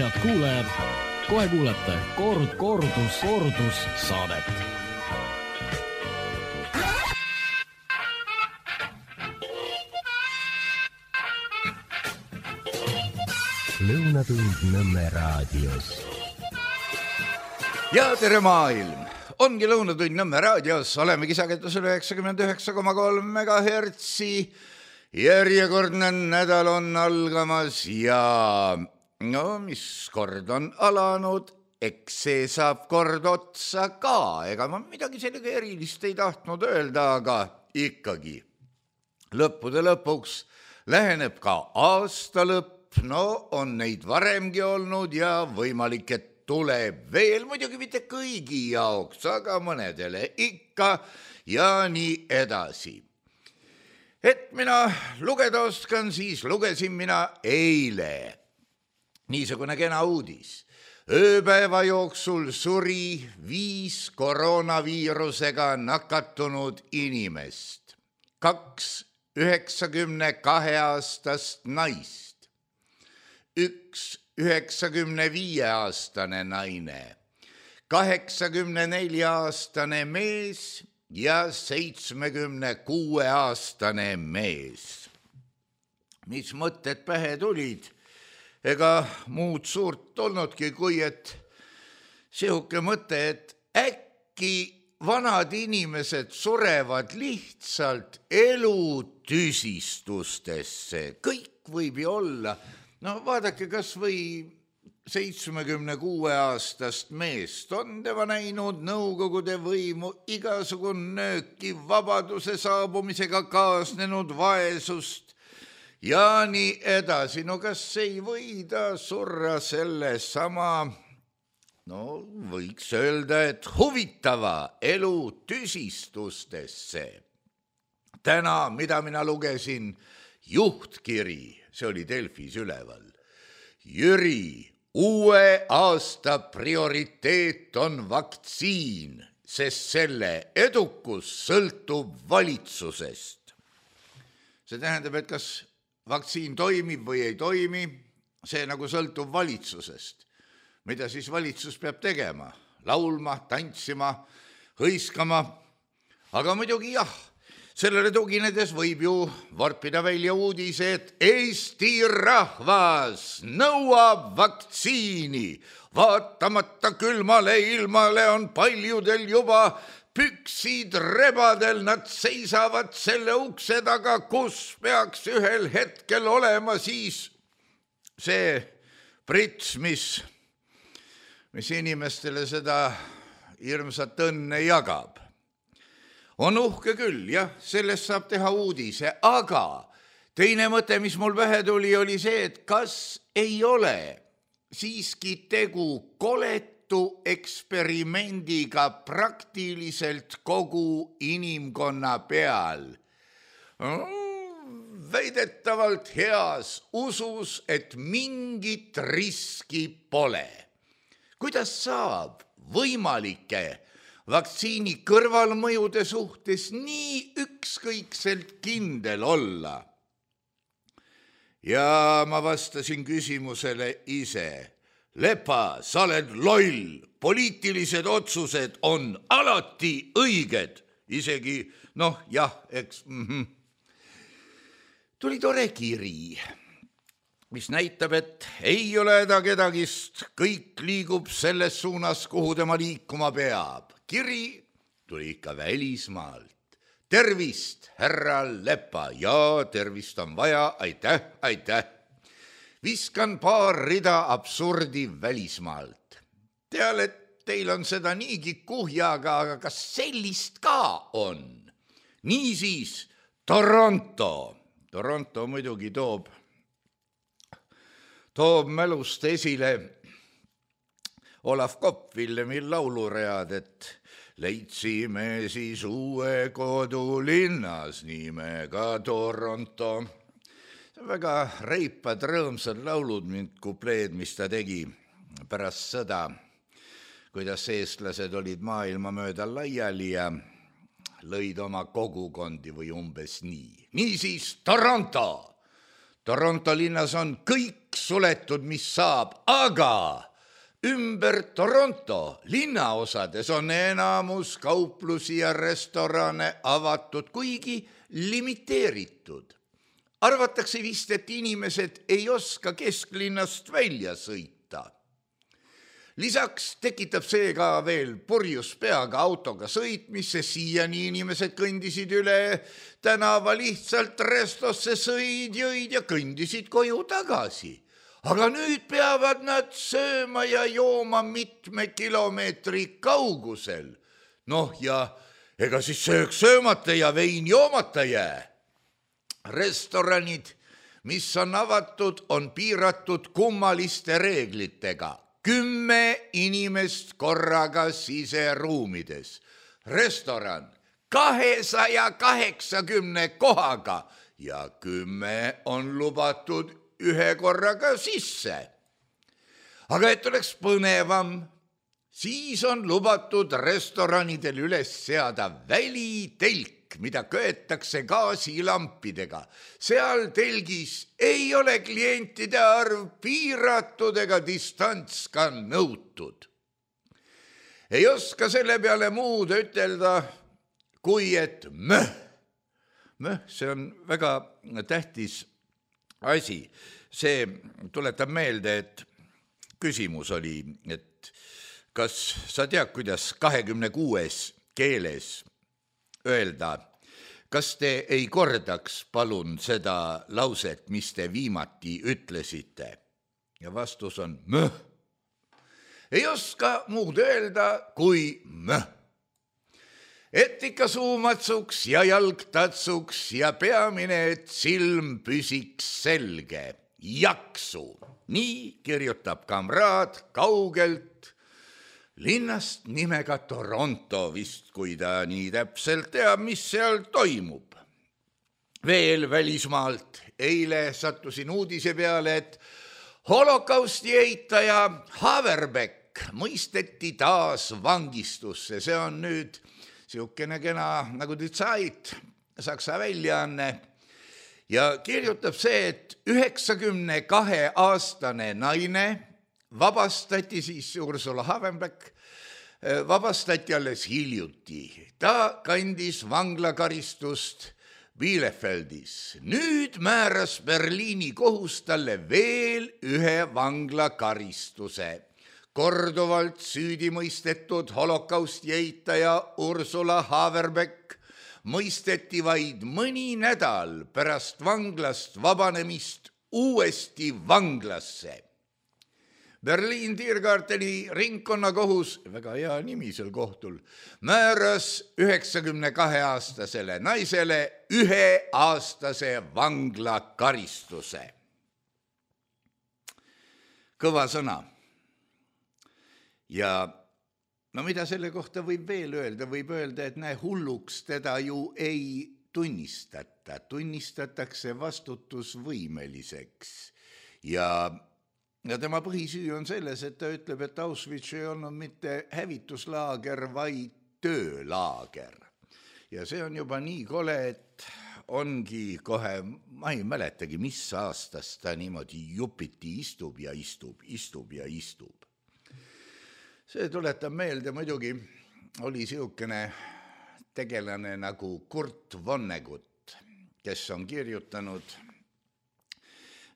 Head kuulajad, kohe kuulete kordus saadet. Lõunatund Nõmme raadios. Ja tere maailm! Ongi Lõunatund Nõmme raadios, olemegi sagedusel 99,3 MHz. Järjekordne nädal on algamas ja no mis kord on alanud, eks see saab kord otsa ka. Ega ma midagi sellega erilist ei tahtnud öelda, aga ikkagi lõppude lõpuks läheneb ka aasta lõpp. No on neid varemgi olnud ja võimalik, et tuleb veel, muidugi mitte kõigi jaoks, aga mõnedele ikka ja nii edasi. Et mina lugeda oskan, siis lugesin mina eile niisugune kena uudis. Ööpäeva jooksul suri 5 koroonaviirusega nakatunud inimest, 2 92-aastast naist, 1 95-aastane naine, 84-aastane mees ja 76-aastane mees. Mis mõtted pähe tulid? Ega muud suurt olnudki, kui et sihuke mõte, et äkki vanad inimesed surevad lihtsalt elutüsistustesse. Kõik võib ju olla. No vaadake, kas või 76-aastast meest on tema näinud Nõukogude võimu, igasugune nööki, vabaduse saabumisega kaasnenud vaesust ja nii edasi. No kas ei või ta surra selle sama, no võiks öelda, et huvitava elutüsistustesse. Täna, mida mina lugesin, juhtkiri. See oli Delfis üleval. Jüri, uue aasta prioriteet on vaktsiin, sest selle edukus sõltub valitsusest. See tähendab, et kas vaktsiin toimib või ei toimi, see nagu sõltub valitsusest. Mida siis valitsus peab tegema? Laulma, tantsima, hõiskama, aga muidugi jah. Sellele tuginedes võib ju vorpida välja uudise, et Eesti rahvas nõuab vaktsiini. Vaatamata külmale ilmale on paljudel juba püksid rebadel, nad seisavad selle ukse taga, kus peaks ühel hetkel olema siis see prits, mis inimestele seda hirmsat õnne jagab. On uhke küll, jah, sellest saab teha uudise, aga teine mõte, mis mul pähe tuli, oli see, et kas ei ole siiski tegu koletu eksperimendiga praktiliselt kogu inimkonna peal. Väidetavalt heas usus, et mingit riski pole. Kuidas saab võimalike vaktsiini kõrvalmõjude suhtes nii ükskõikselt kindel olla? Ja ma vastasin küsimusele ise. Lepa, sa oled loll, poliitilised otsused on alati õiged. Isegi, noh jah, eks. Tuli tore kiri, mis näitab, et ei ole häda kedagist, kõik liigub selles suunas, kuhu tema liikuma peab. Kiri tuli ikka välismaalt. Tervist, härra Lepa. Ja tervist on vaja, aitäh. Viskan paar rida absurdi välismaalt. Tean, et teil on seda niigi kuhjaga, aga kas sellist ka on? Niisiis, Toronto. Toronto muidugi toob mälust esile Olav Kopp-Villemi lauluread, et leidsime siis uue kodu linnas nimega Toronto. See on väga reipad, rõõmsad laulud, mind kupleed, mis ta tegi pärast sõda, kuidas eestlased olid maailma mööda laiali ja lõid oma kogukondi või umbes nii. Niisiis Toronto. Toronto linnas on kõik suletud, mis saab, aga ümber Toronto linnaosades on enamus kauplusi ja restorane avatud, kuigi limiteeritud. Arvatakse vist, et inimesed ei oska kesklinnast välja sõita. Lisaks tekitab see ka veel purjus peaga autoga sõitmisse, siiani inimesed kõndisid üle tänava lihtsalt restosse, sõid, jõid ja kõndisid koju tagasi. Aga nüüd peavad nad sööma ja jooma mitme kilomeetri kaugusel. Noh ja ega siis sööks söömata ja vein joomata jää. Restoranid, mis on avatud, on piiratud kummaliste reeglitega. 10 inimest korraga siseruumides. Restoran 280 kohaga ja 10 on lubatud ühe korraga sisse. Aga et oleks põnevam, siis on lubatud restoranidel üles seada välitelk, mida köetakse gaasilampidega. Seal telgis ei ole klientide arv piiratud ega distants ka nõutud. Ei oska selle peale muud ütelda, kui et möh, see on väga tähtis asi. See tuletab meelde, et küsimus oli, et kas sa tead, kuidas 26 keeles öelda, kas te ei kordaks palun seda lauset, mis te viimati ütlesite? Ja vastus on möh. Ei oska muud öelda kui möh. Et ikka suu matsuks ja jalg tatsuks ja peamine, et silm püsiks selge. Jaksu! Nii kirjutab kamraad kaugelt linnast nimega Toronto vist, kui ta nii täpselt teab, mis seal toimub. Veel välismaalt eile sattusin uudise peale, et holokausti eitaja Haverbeck mõisteti taas vangistusse. See on nüüd siukene kena nagu Die Zeit, Saksa väljaanne. Ja kirjutab see, et 92-aastane naine vabastati siis Ursula Haverbeck, vabastati alles hiljuti. Ta kandis vanglakaristust Bielefeldis. Nüüd määras Berliini kohus talle veel ühe vanglakaristuse. Korduvalt süüdi mõistetud holokausti eitaja Ursula Haverbeck mõisteti vaid mõni nädal pärast vanglast vabanemist uuesti vanglasse. Berliin Tiergarteni ringkonnakohus, väga hea nimi sel kohtul, määras 92-aastasele naisele 1-aastase vanglakaristuse. Kõva sõna. Ja no mida selle kohta võib veel öelda? Võib öelda, et näe, hulluks teda ju ei tunnistata. Tunnistatakse vastutusvõimeliseks. Ja tema põhisüü on selles, et ta ütleb, et Auschwitz ei olnud mitte hävituslaager, vaid töölaager. Ja see on juba nii kole, et ongi kohe, ma ei mäletagi, mis aastast ta niimoodi jupiti istub ja istub. See tuletab meelde, muidugi oli siukene tegelane nagu Kurt Vonnegut, kes on kirjutanud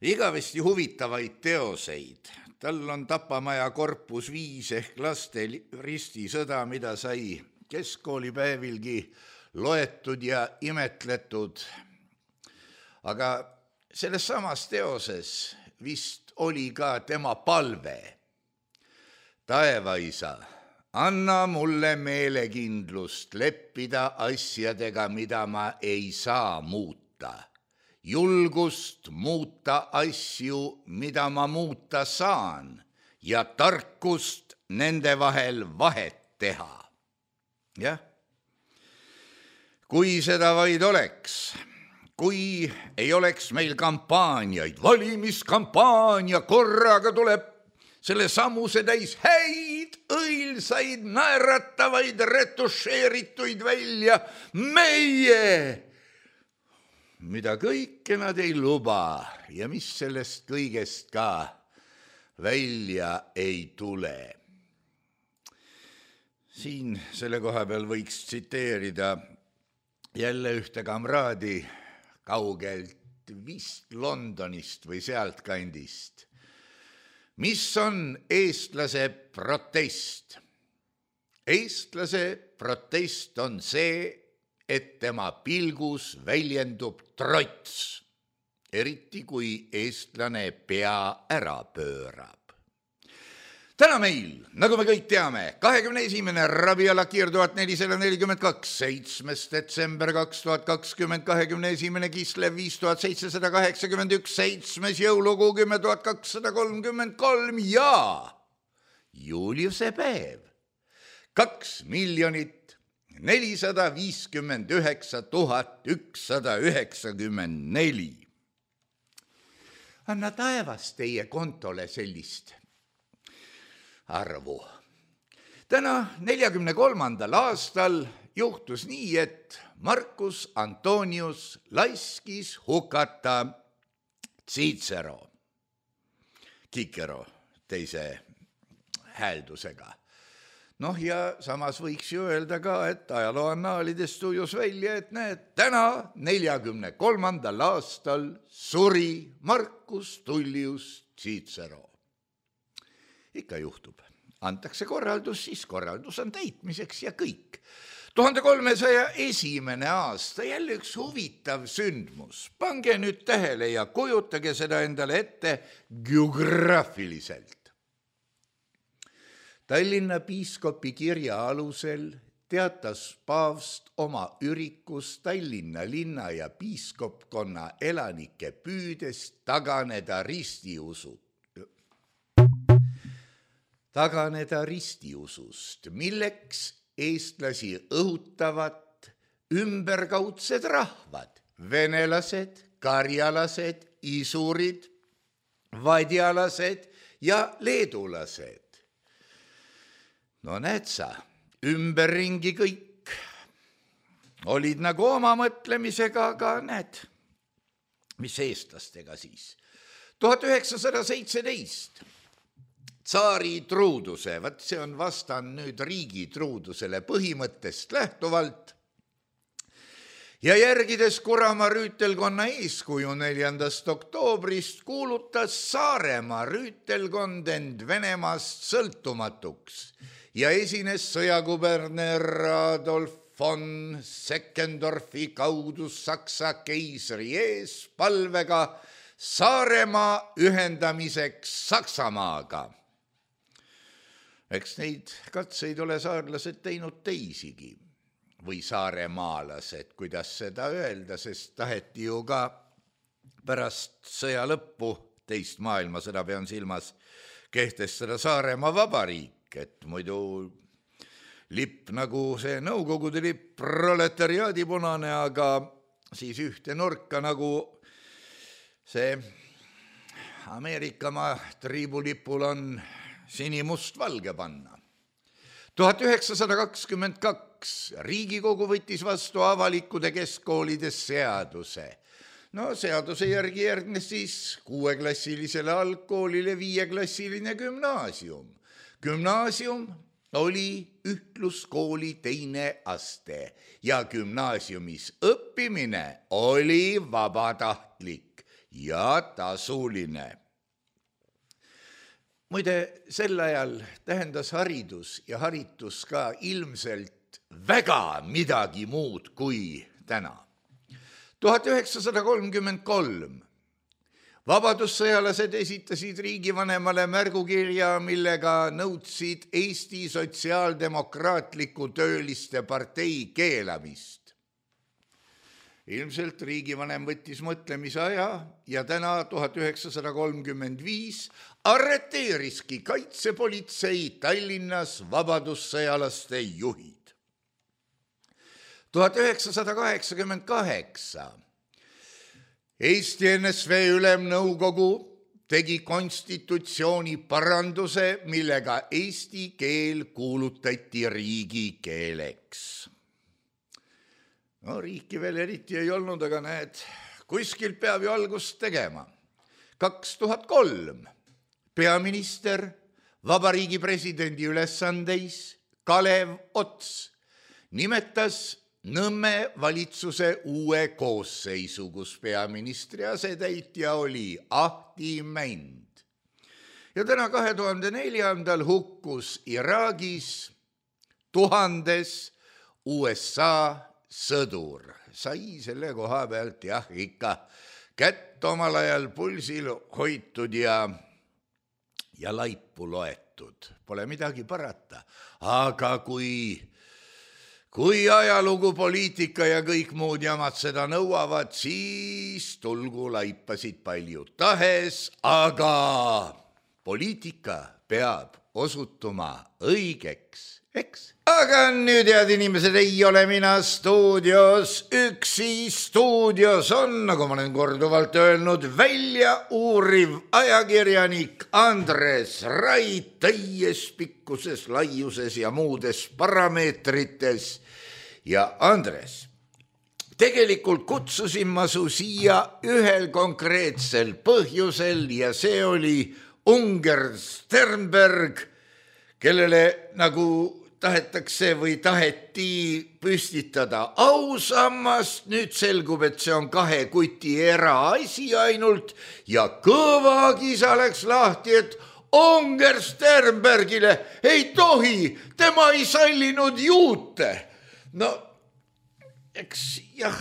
igavesti huvitavaid teoseid. Tal on Tapamaja korpus 5 ehk laste ristisõda, mida sai keskkoolipäevilgi loetud ja imetletud. Aga selles samas teoses vist oli ka tema palve. Taevaisa, anna mulle meelekindlust leppida asjadega, mida ma ei saa muuta. Julgust muuta asju, mida ma muuta saan, ja tarkust nende vahel vahet teha. Jah, kui seda vaid oleks, kui ei oleks meil kampaaniaid, valimiskampaania, korraga tuleb selle sammuse täis häid, õilsaid, naeratavaid, retušeerituid välja meie, mida kõike nad ei luba ja mis sellest kõigest ka välja ei tule. Siin selle koha peal võiks tsiteerida jälle ühte kamraadi kaugelt vist Londonist või sealtkandist. Mis on eestlase protest? Eestlase protest on see, et tema pilgus väljendub trots, eriti kui eestlane pea ära pöörab. Täna meil, nagu me kõik teame, 21. Rabiul Akir 1442, 7. detsember 2020, 21. Kislev 5781, 7. jõulukuu 10.233 ja Juliuse päev 2,459,194. Anna taevas teie kontole sellist arvu. Täna 43. aastal juhtus nii, et Marcus Antonius laskis hukata Cicero, Cicero teise hääldusega. Ja samas võiks ju öelda ka, et ajaloo annaalidest ujus välja, et näed, täna 43. aastal suri Marcus Tullius Cicero. Ikka juhtub. Antakse korraldus, siis korraldus on täitmiseks ja kõik. 1301. aasta, jälle üks huvitav sündmus. Pange nüüd tähele ja kujutage seda endale ette geograafiliselt. Tallinna piiskopi kirja alusel teatas paavst oma ürikus Tallinna linna ja piiskopkonna elanike püüdest taganeda ristiusust, milleks eestlasi õhutavad ümberkaudsed rahvad, venelased, karjalased, isurid, vadjalased ja leedulased. No näed sa, ümberringi kõik olid nagu oma mõtlemisega, aga näed, mis eestlastega siis. 1917 tsaari truuduse, see on vastan nüüd riigi truudusele põhimõttest lähtuvalt ja järgides Kuramaa rüütelkonna eeskuju 4. oktoobrist kuulutas Saaremaa rüütelkond end Venemaast sõltumatuks ja esines sõjakuberner Adolf von Seckendorfi kaudu Saksa keisri ees palvega Saaremaa ühendamiseks Saksamaaga. Eks neid katseid ole saarlased teinud teisigi või saaremaalased, kuidas seda öelda, sest taheti ju ka pärast sõja lõppu, teist maailmasõda pean silmas, kehtestada Saaremaa vabariik, et muidu lipp nagu see Nõukogude lipp, proletariaadi punane, aga siis ühte nurka nagu see Ameerikamaa triibulipul on sinimust-valge panna. 1922 Riigikogu võttis vastu avalikude keskkoolides seaduse. Seaduse järgi järgnes siis 6-klassilisele algkoolile 5-klassiline gümnaasium. Gümnaasium oli ühtluskooli teine aste ja gümnaasiumis õppimine oli vabatahtlik ja tasuline. Muide, sel ajal tähendas haridus ja haritus ka ilmselt väga midagi muud kui täna. 1933 vabadussõjalased esitasid riigivanemale märgukirja, millega nõudsid Eesti Sotsiaaldemokraatliku Tööliste partei keelamist. Ilmselt riigivanem võttis mõtlemise aja ja täna 1935 arreteeriski kaitsepolitsei Tallinnas vabadussõjalaste juhid. 1988 Eesti NSV Ülemnõukogu tegi konstitutsiooni paranduse, millega eesti keel kuulutati riigikeeleks. Riiki veel eriti ei olnud, aga näed, kuskilt peab ju algust tegema. 2003 peaminister, vabariigi presidendi ülesandeis Kalev Ots nimetas Nõmme valitsuse uue koosseisu, kus peaministri asetäitja oli Ahti Mänd. Ja täna 2004. hukkus Iraagis 1000 USA sõdur. Sai selle koha pealt jah ikka kätt omal ajal pulsil hoitud ja laipu loetud. Pole midagi parata, aga kui ajalugu, poliitika ja kõik muud jamad seda nõuavad, siis tulgu laipasid palju tahes, aga poliitika peab osutuma õigeks, eks? Aga nüüd, head inimesed, ei ole mina stuudios üksi. Stuudios on, nagu ma olen korduvalt öelnud, välja uuriv ajakirjanik Andres Rait täies pikkuses, laiuses ja muudes parameetrites. Ja Andres, tegelikult kutsusin ma su siia ühel konkreetsel põhjusel ja see oli Unger Sternberg, kellele nagu tahetakse või taheti püstitada ausammast. Nüüd selgub, et see on 2 kuti eraasi ainult ja kõva kisa läks lahti, et Unger Sternbergile ei tohi, tema ei sallinud juute. No, eks jah,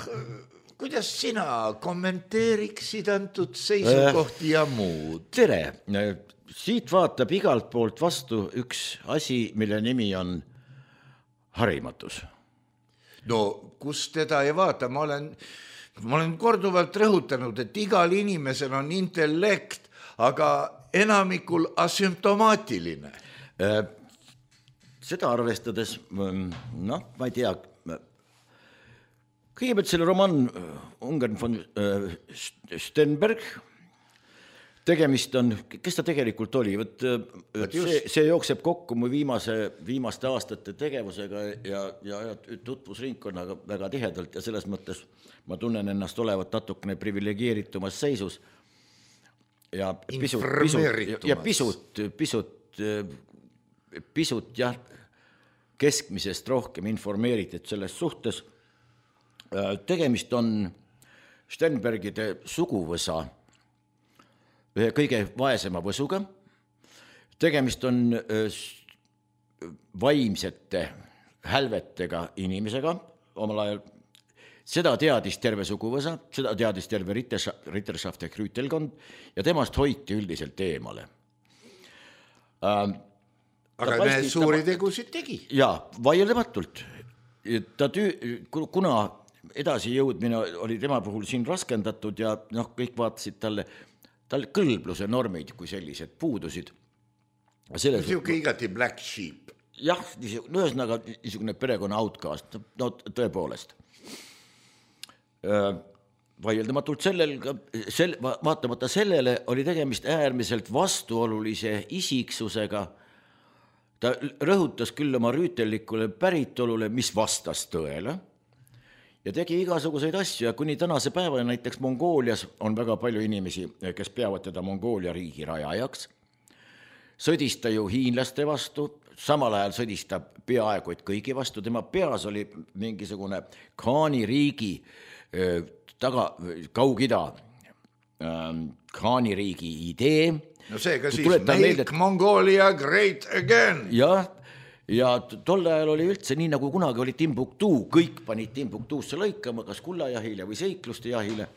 kuidas sina kommenteeriksid antud seisukohti ja muud? Tere! Siit vaatab igalt poolt vastu üks asi, mille nimi on harimatus. No, kus teda ei vaata? Ma olen korduvalt rõhutanud, et igal inimesel on intellekt, aga enamikul asümptomaatiline. Seda arvestades, ma ei tea, kõigepealt selle roman Unger von Sternberg, tegemist on, kes ta tegelikult oli? See jookseb kokku mu viimaste aastate tegevusega ja tutvusringkonnaga väga tihedalt ja selles mõttes ma tunnen ennast olevat natukene privilegeeritumas seisus ja pisut jah, keskmisest rohkem informeeritud selles suhtes. Tegemist on Sternbergide suguvõsa ühe kõige vaesema võsuga. Tegemist on vaimsete hälvetega inimesega omal ajal. Seda teadis terve suguvõsa, seda teadis terve Ritterschaft ja Krüütelkond ja temast hoiti üldiselt eemale. Aga need suuri tegusid tegi. Jaa, vaieldamatult. Kuna edasi jõudmine oli tema puhul siin raskendatud ja kõik vaatasid talle kõlbluse normid kui sellised puudusid. Niisugune igati black sheep. Jah, ühesõnaga niisugune perekonna outcast, no tõepoolest. Vaieldamatult vaatamata sellele oli tegemist äärmiselt vastuolulise isiksusega. Ta rõhutas küll oma rüütellikule päritolule, mis vastas tõele ja tegi igasuguseid asju ja kuni tänase päeva näiteks Mongoolias on väga palju inimesi, kes peavad teda Mongoolia riigi rajajaks. Sõdis ta ju hiinlaste vastu, samal ajal sõdis ta peaaegu et kõigi vastu. Tema peas oli mingisugune Khaani riigi Kaug-Ida Khaani riigi idee. No seega siis make Mongolia great again. Ja tol ajal oli üldse nii, nagu kunagi oli Timbuktu, kõik panid Timbuktuusse lõikama, kas kullajahile või seikluste jahile,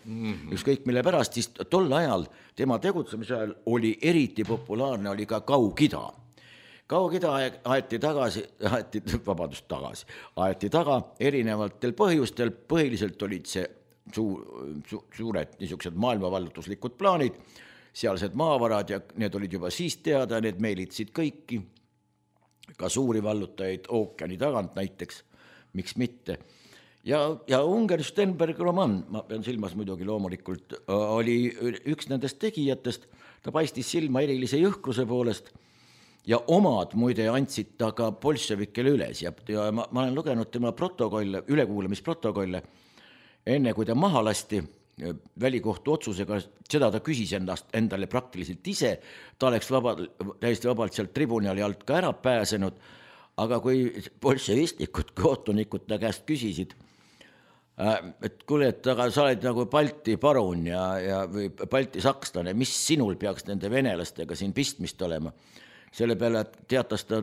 ükskõik mille pärast, siis tol ajal tema tegutsemise ajal oli eriti populaarne oli ka Kaug-Ida. Kaug-Ida aeti taga erinevatel põhjustel, põhiliselt olid see suured niisugused maailmavallutuslikud plaanid, sealsed maavarad ja need olid juba siis teada, need meelitsid kõiki, ka suuri vallutajaid ookeani tagant näiteks, miks mitte. Ja Unger Sternberg roman, ma pean silmas muidugi loomulikult, oli üks nendest tegijatest, ta paistis silma erilise jõhkruse poolest ja omad muide andsid ta ka bolševikele üles ja ma olen lugenud tema protokolle, ülekuulamisprotokolle, enne kui ta maha lasti välikohtu otsusega, seda ta küsis endale praktiliselt ise, ta oleks täiesti vabalt sealt tribunali alt ka ära pääsenud, aga kui bolševistlikud kohtunikud ta käest küsisid, et kuule, et aga sa oled nagu Balti parun või Balti sakslane, mis sinul peaks nende venelastega siin pistmist olema, selle peale teatas ta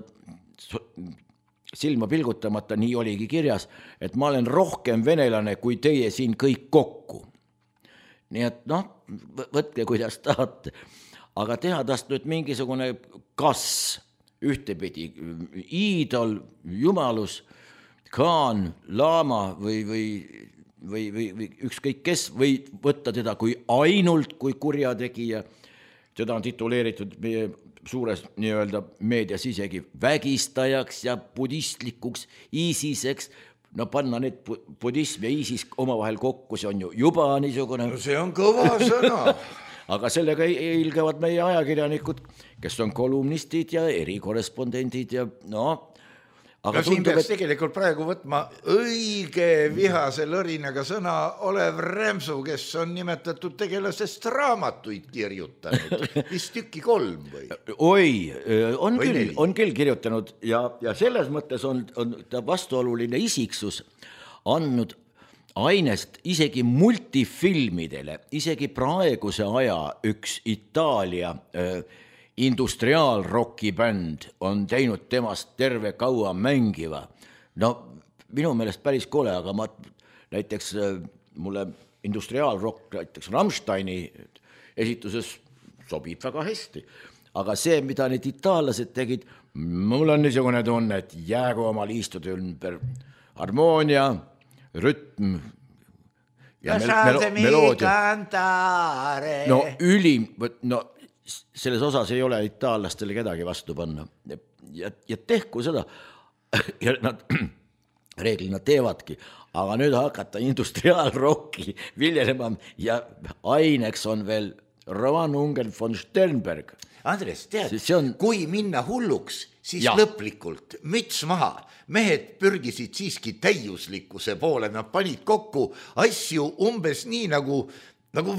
silma pilgutamata, nii oligi kirjas, et ma olen rohkem venelane kui teie siin kõik kokku. Nii et võtke kuidas tahate, aga teha tast nüüd mingisugune kas ühtepidi iidol, jumalus, kaan, laama või ükskõik kes, või võtta teda kui ainult kui kurjategija, seda on tituleeritud meie suures nii-öelda meedias isegi vägistajaks ja budistlikuks ISISeks, no panna need budism ja ISIS omavahel kokku, see on ju juba niisugune... No see on kõva sõna. Aga sellega ilgevad meie ajakirjanikud, kes on kolumnistid ja erikorrespondendid ja aga siin peaks tegelikult praegu võtma õige vihase lõrinaga sõna Olev Rämsu, kes on nimetatud tegelasest raamatuid kirjutanud, vist tükki 3 või? Oi, on küll kirjutanud ja selles mõttes on ta vastuoluline isiksus andnud ainest isegi multifilmidele, isegi praeguse aja üks Itaalia industriaalrocki bänd on teinud temast terve kaua mängiva. No minu meelest päris kole, aga näiteks mulle industriaalrock, näiteks Rammsteini esituses sobib väga hästi. Aga see, mida need itaallased tegid, mul on niisugune tunne, et jäägu omal istuda ümber harmoonia, rütm ja meloodia. No ülim, selles osas ei ole itaallastele kedagi vastu panna ja tehku seda ja nad reeglina teevadki, aga nüüd hakata industriaalrocki viljelema ja aineks on veel Roman Ungen von Sternberg. Andres, tead, kui minna hulluks, siis lõplikult müts maha. Mehed pürgisid siiski täiuslikkuse poole, nad panid kokku asju umbes nii nagu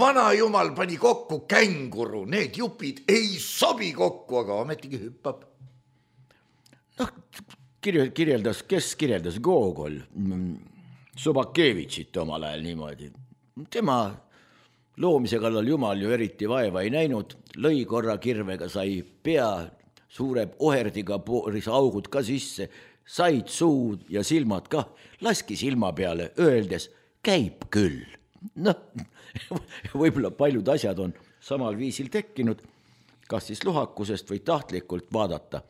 vana jumal pani kokku känguru, need jupid ei sobi kokku, aga ometigi hüppab. Kes kirjeldas Gogol Sobakevitšit omal ajal niimoodi. Tema loomise kallal jumal ju eriti vaeva ei näinud, lõi korra kirvega, sai pea, suure oherdiga pooris augud ka sisse, said suud ja silmad ka, laski silma peale, öeldes, käib küll. Võib-olla paljud asjad on samal viisil tekkinud, kas siis luhakusest või tahtlikult vaadata.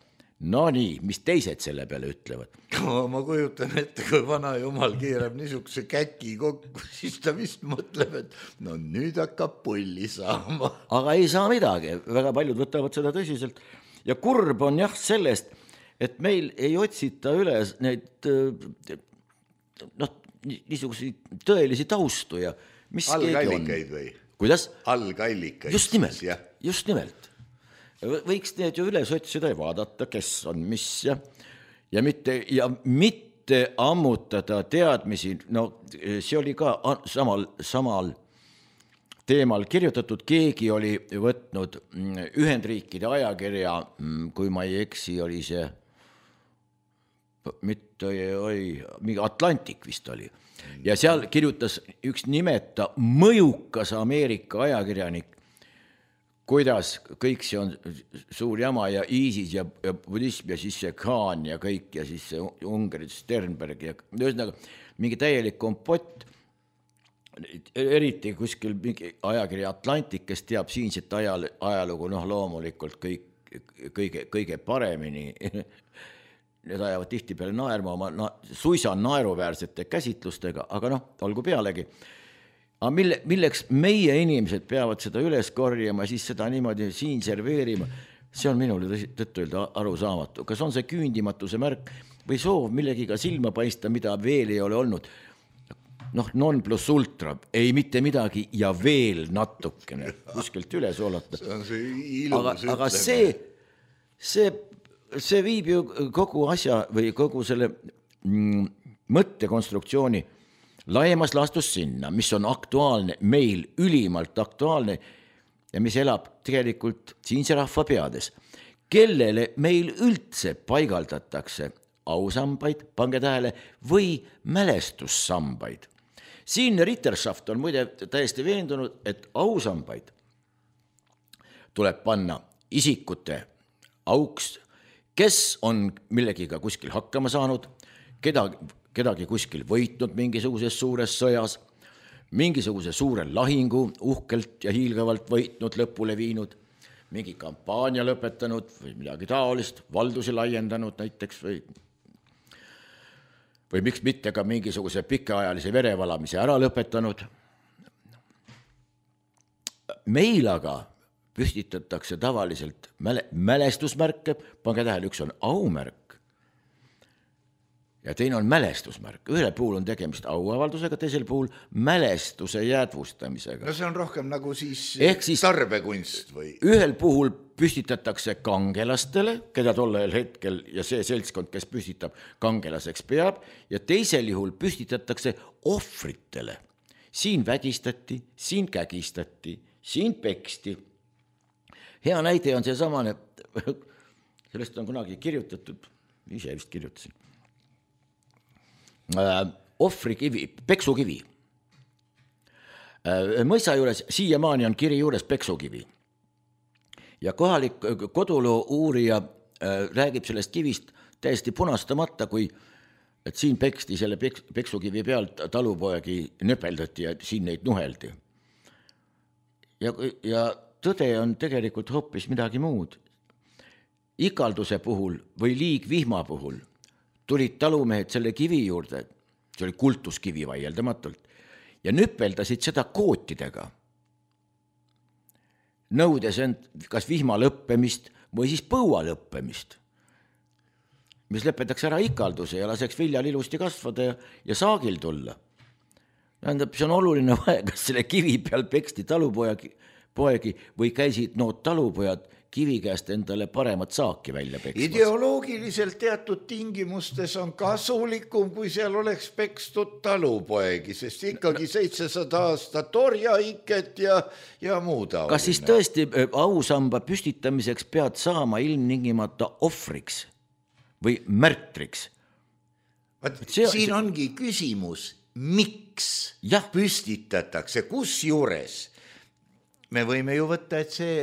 No nii, mis teised selle peale ütlevad? Ma kujutan ette, kui vana jumal keerab niisuguse käki kokku, siis ta vist mõtleb, et no nüüd hakkab pulli saama. Aga ei saa midagi, väga paljud võtavad seda tõsiselt. Ja kurb on sellest, et meil ei otsita üles neid niisuguseid tõelisi taustu ja mis algallikaid või? Kuidas? Algallikaid. Just nimelt. Võiks need ju üles otsida ja vaadata, kes on mis ja mitte ammutada teadmisi. No see oli ka samal teemal kirjutatud, keegi oli võtnud Ühendriikide ajakirja, kui ma ei eksi, oli see mingi Atlantik vist oli. Ja seal kirjutas üks nimeta mõjukas Ameerika ajakirjanik, kuidas kõik see on suur jama ja ISIS ja budism ja siis see Khan ja kõik ja siis see Ungari Sternberg ja ühesõnaga mingi täielik kompott, eriti kuskil mingi ajakirja Atlantik, kes teab siinset ajalugu, loomulikult kõige paremini. Need ajavad tihtipeale naerma oma suisa naeruväärsete käsitlustega, aga olgu pealegi. Aga milleks meie inimesed peavad seda üles korjama, siis seda niimoodi siin serveerima, see on minule tõtt-öelda arusaamatu. Kas on see küündimatuse märk või soov millegiga silma paista, mida veel ei ole olnud? Non plus ultra, ei mitte midagi ja veel natukene kuskilt üle soolata. See on see ilus aga see viib ju kogu asja või kogu selle mõttekonstruktsiooni laimas laastus sinna, mis on aktuaalne, meil ülimalt aktuaalne ja mis elab tegelikult siinse rahva peades, kellele meil üldse paigaldatakse ausambaid, pange tähele, või mälestussambaid. Siin Ritterschaft on muide täiesti veendunud, et ausambaid tuleb panna isikute auks, kes on millegiga kuskil hakkama saanud, kedagi kuskil võitnud mingisuguses suures sõjas, mingisuguse suure lahingu uhkelt ja hiilgavalt võitnud, lõpule viinud, mingi kampaania lõpetanud või midagi taolist, valdusi laiendanud näiteks või miks mitte ka mingisuguse pikaajalise verevalamise ära lõpetanud. Meil aga püstitatakse tavaliselt mälestusmärke, pange tähele, üks on aumärk ja teine on mälestusmärk. Ühel puhul on tegemist auavaldusega, teisel puhul mälestuse jäädvustamisega. No see on rohkem nagu siis siis tarbekunst või? Ühel puhul püstitatakse kangelastele, keda tollel hetkel ja see seltskond, kes püstitab, kangelaseks peab, ja teisel juhul püstitatakse ohvritele. Siin vägistati, siin kägistati, siin peksti. Hea näide on see samane, sellest on kunagi kirjutatud, ise vist kirjutasin, ohvrikivi, peksukivi. Mõisa juures, siiamaani on kiri juures peksukivi. Ja kohalik koduloo uurija räägib sellest kivist täiesti punastamata, kui et siin peksti selle peksukivi pealt talupoegi nöpeldati ja siin neid nuheldi. Ja tõde on tegelikult hoopis midagi muud. Ikalduse puhul või liigvihma puhul tulid talumehed selle kivi juurde, see oli kultuskivi vaieldamatult, ja nüpeldasid seda kootidega, nõudes end kas vihma lõppemist või siis põua lõppemist, mis lõpetaks ära ikalduse ja laseks viljal ilusti kasvada ja saagil tulla. Tähendab, see on oluline vahe, kas selle kivi peal peksti talupoegi või käisid nood talupojad kivi käest endale paremat saaki välja peksmas. Ideoloogiliselt teatud tingimustes on kasulikum, kui seal oleks pekstud talupoegi, sest ikkagi 700 aastat orjaiket ja muu taoline. Kas siis tõesti ausamba püstitamiseks pead saama ilmningimata ohvriks või märtriks? Siin ongi küsimus, miks püstitatakse, kus juures? Me võime ju võtta, et see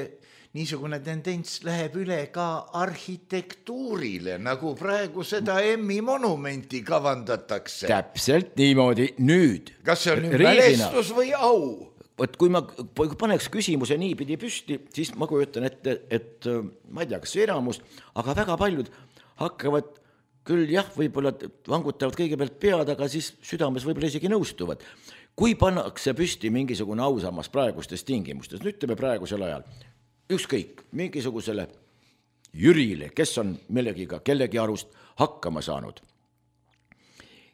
niisugune tendents läheb üle ka arhitektuurile, nagu praegu seda Emmi monumenti kavandatakse. Täpselt niimoodi nüüd. Kas see on mälestus või au? Võt, kui ma paneks küsimuse niipidi püsti, siis ma kujutan ette, et ma ei tea, kas enamus, aga väga paljud hakkavad küll võib-olla vangutavad kõigepealt pead, aga siis südames võib-olla isegi nõustuvad. Kui pannakse püsti mingisugune ausammas praegustes tingimustes, nüüd ütleme praegusel ajal, ükskõik mingisugusele Jürile, kes on millegiga kellegi arust hakkama saanud,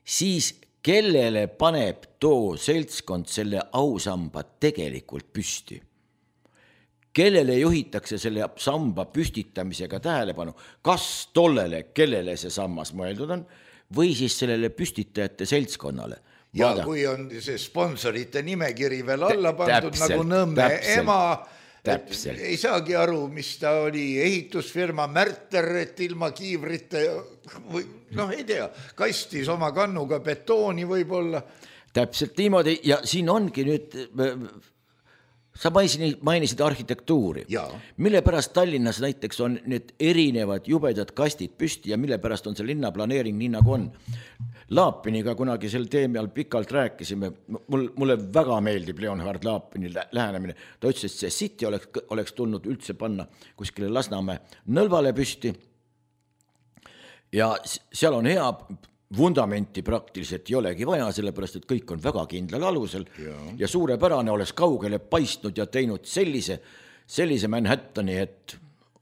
siis kellele paneb too seltskond selle ausamba tegelikult püsti? Kellele juhitakse selle samba püstitamisega tähelepanu, kas tollele, kellele see sammas mõeldud on, või siis sellele püstitajate seltskonnale? Ja kui on see sponsorite nimekiri veel alla pandud nagu Nõmme ema, ei saagi aru, mis ta oli, ehitusfirma Märter, et ilma kiivrite või ei tea, kastis oma kannuga betooni võib-olla. Täpselt niimoodi ja siin ongi nüüd, sa mainisid arhitektuuri, mille pärast Tallinnas näiteks on need erinevad jubedad kastid püsti ja mille pärast on see linnaplaneering nii nagu on. Laapiniga kunagi sel teemal pikalt rääkisime, mulle väga meeldib Leonhard Laapini lähenemine, ta ütles, et see City oleks tulnud üldse panna kuskile Lasnamäe nõlvale püsti ja seal on hea vundamenti praktiliselt ei olegi vaja, sellepärast, et kõik on väga kindlal alusel ja suurepärane oleks kaugele paistnud ja teinud sellise Manhattani, et